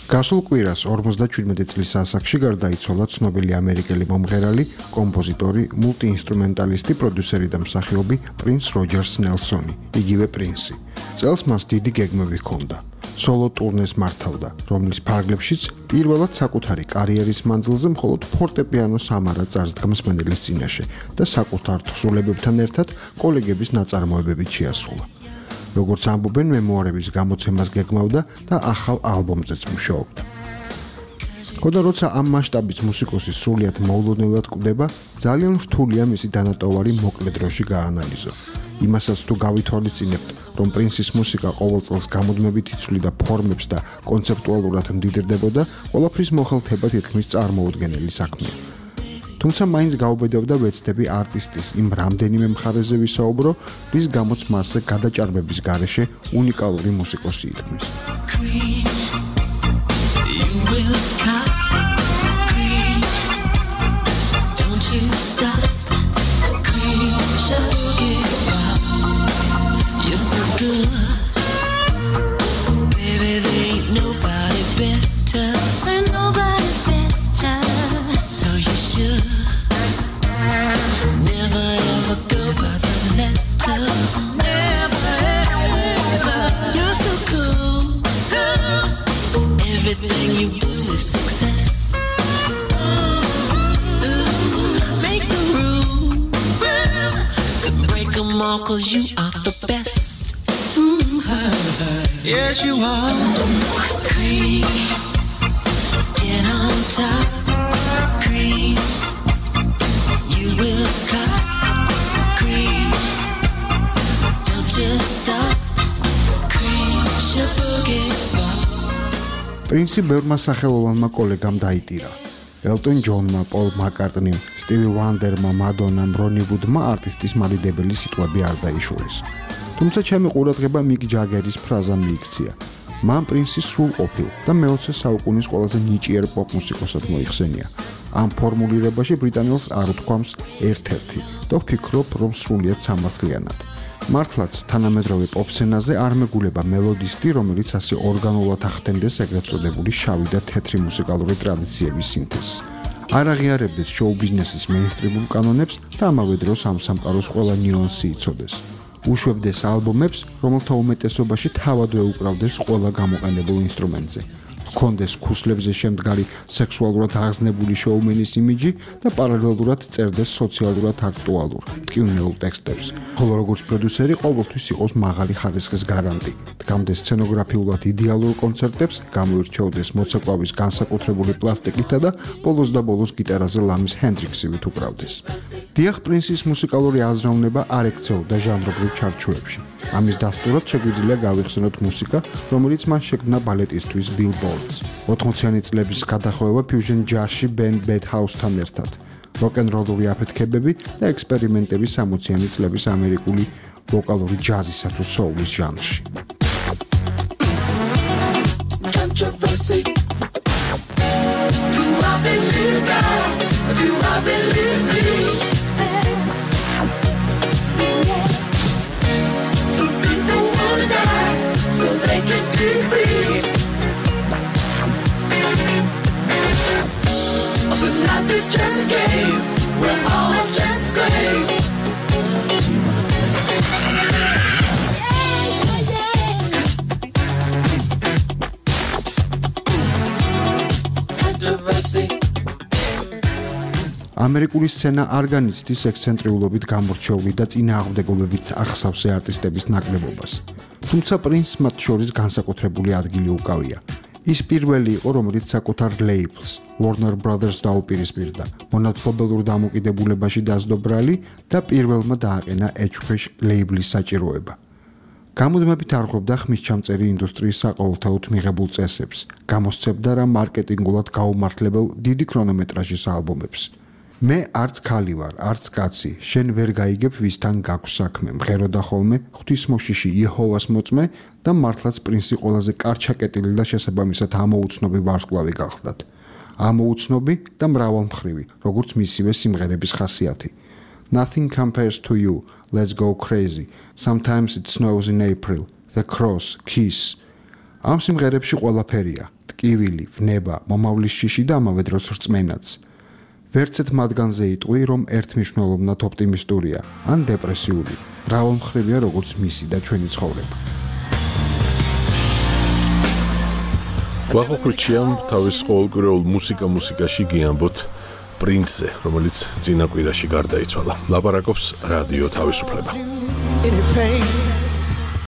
გასულ კვირას ორმოცდაჩვიდმეტი წლის ასაკში გარდაიცვალა ცნობილი ამერიკელი მომღერალი, კომპოზიტორი, მულტიინსტრუმენტალისტი, პროდიუსერი და მსახიობი პრინს როჯერს ნელსონი, იგივე პრინსი. წელს მას დიდი გეგმები ჰქონდა. სოლო ტურნეს მართავდა, რომლის ფარგლებშიც პირველად საკუთარი კარიერის მანძილზე მხოლოდ ფორტეპიანოს ამარა წარსდგამს მენელის წინაშე და საკუთარ თხზულებებთან ერთად კოლეგების ნაწარმოებებით შეასრულა. როგორც ამბობენ, მემუარების გამოცემას გეგმავდა და ახალ ალბომზეც მუშაობდა. ხოდა როცა ამ მასშტაბის მუსიკოსი სრულიად მოულოდნელად კვდება, ძალიან რთულია მისი დანატოვარი მოკლე დროში გაანალიზო. იმასაც თუ გავითვალისწინებთ, რომ პრინსის მუსიკა ყოველ წელს გამუდმებით იცვლიდა ფორმებს და კონცეპტუალურად მდიდრდებოდა, ყველაფრის მოხელთება თითქმის წარმოუდგენელი საქმეა. თუმცა მაინც გაუბედავდა ვეცდები არტისტის იმ რამდენიმე მხარეზე ვისაუბრო, რის გამოც მასზე გადაჭარბების გარეშე უნიკალური მუსიკოსი ითქმის. Cause you are the best. Mm-hmm. Yes, you are. Cream, get on top. Cream, you will cut. Cream, don't just stop. Cream, shabugi. პრინსი ბევრმა სახელოვანმა კოლეგამ დაიტირა. ელტონ ჯონმა, პოლ მაკარტნიმ, სტივი ვანდერმა, მადონამ, რონი ვუდმა არტისტის მალიდებელი სიტყვები არ დაიშურეს. თუმცა ჩემი ყურადღება მიკ ჯაგერის ფრაზა მიიქცია. მან პრინსი სრულყოფილ და მეოცე საუკუნის ყველაზე ნიჭიერ პოპ მუსიკოსად მოიხსენია. ამ ფორმულირებაში ბრიტანელს არ უთქვამს ერთ-ერთი და ვფიქრობ, რომ სრულიად სამართლიანად. მართლაც თანამედროვე პოპ სცენაზე არ მეგულება მელოდისტი, რომელიც ასე ორგანულად ახდენდეს ეგრეთ წოდებული შავი და თეთრი მუსიკალური ტრადიციების სინთეზს. არ აღიარებდეს შოუ-ბიზნესის მეინსტრიმულ კანონებს და ამავე დროს ამ სამყაროს ყველა ნიუანსი იცოდეს. უშვებდეს ალბომებს, რომელთა უმეტესობაში თავადვე უკრავდეს ყველა გამოყენებულ ინსტრუმენტზე. ჰქონდეს ქუსლებზე შემდგარი სექსუალურად აღზნებული შოუმენის იმიჯი და პარალელურად წერდეს სოციალურად აქტუალურ, ტკივნეულ ტექსტებს. ხოლო როგორც პროდიუსერი ყოველთვის იყოს მაღალი ხარისხის გარანტი. დგამდეს სცენოგრაფიულად იდეალურ კონცერტებს, გამოირჩეოდეს მოცეკვავის განსაკუთრებული პლასტიკითა და ბოლოს და ბოლოს გიტარაზე ლამის ჰენდრიქსივით უკრავდეს. დიახ, პრინსის მუსიკალური აზროვნება არ ექცეოდა ჟანრობრივ ჩარჩოებში. ამის დასტურად შეგვიძლია გავიხსენოთ მუსიკა, რომელიც მან შექმნა ბალეტისთვის Billboards. ოთხმოციანი წლების გადახვევა ფიუჟენ ჯაზში ბენდ Bad House-თან ერთად. როკ-ენ-როლური აფეთქებები და ექსპერიმენტები სამოციანი წლების ამერიკული ვოკალური ჯაზისა თუ soul-ის ჟანრში. Controversy. Do I believe God? Do I believe me? Some people wanna die so they can be free. So life is just a game. We're all just ამერიკული სცენა არ განიცდის ექსცენტრიულობით გამორჩეული და წინააღმდეგობებით ახსავსე არტისტების ნაკლებობას. თუმცა პრინსს მათ შორის განსაკუთრებული ადგილი უკავია. ის პირველი იყო, რომელიც საკუთარ ლეიბლს Warner Brothers დაუპირისპირდა, მონათლობელურ დამოკიდებულებაში დასდო ბრალი და პირველმა დააყენა ეჩქვეშ ლეიბლის საჭიროება. გამუდმებით არღვევდა ხმისჩამწერი ინდუსტრიის საყოველთაოდ მიღებულ წესებს, გამოსცემდა რა მარკეტინგულად გაუმართლებელ დიდი ქრონომეტრაჟის ალბომებს. მე არც ქალი ვარ, არც კაცი, შენ ვერ გაიგებ ვისთან გაქვს საქმე, მღეროდა ხოლმე ღვთისმოშიში იეჰოვას მოწმე და მართლაც პრინსი ყველაზე კარჩაკეტილი და შესაბამისად ამოუცნობი ვარსკვლავი გახლდათ. ამოუცნობი და მრავალმხრივი, როგორც მისივე სიმღერების ხასიათი. Nothing compares to you, let's go crazy. Sometimes it snows in April. The Cross, Kiss. ამ სიმღერებში ყველაფერია: ტკივილი, ვნება, მომავლის შიში და ამავე დროს რწმენაც. ვერცეთ მათგანზე იტყვი, რომ ერთმნიშვნელოვნად ოპტიმისტურია, ან დეპრესიული. მრავალმხრივია როგორც მისი და ჩვენი ცხოვრება. ვახოხრიჩიამ თავის ყოველკვირეულ მუსიკა მუსიკაში გიამბოთ პრინსზე, რომელიც წინა კვირაში გარდაიცვალა. ლაპარაკობს რადიო თავისუფლება.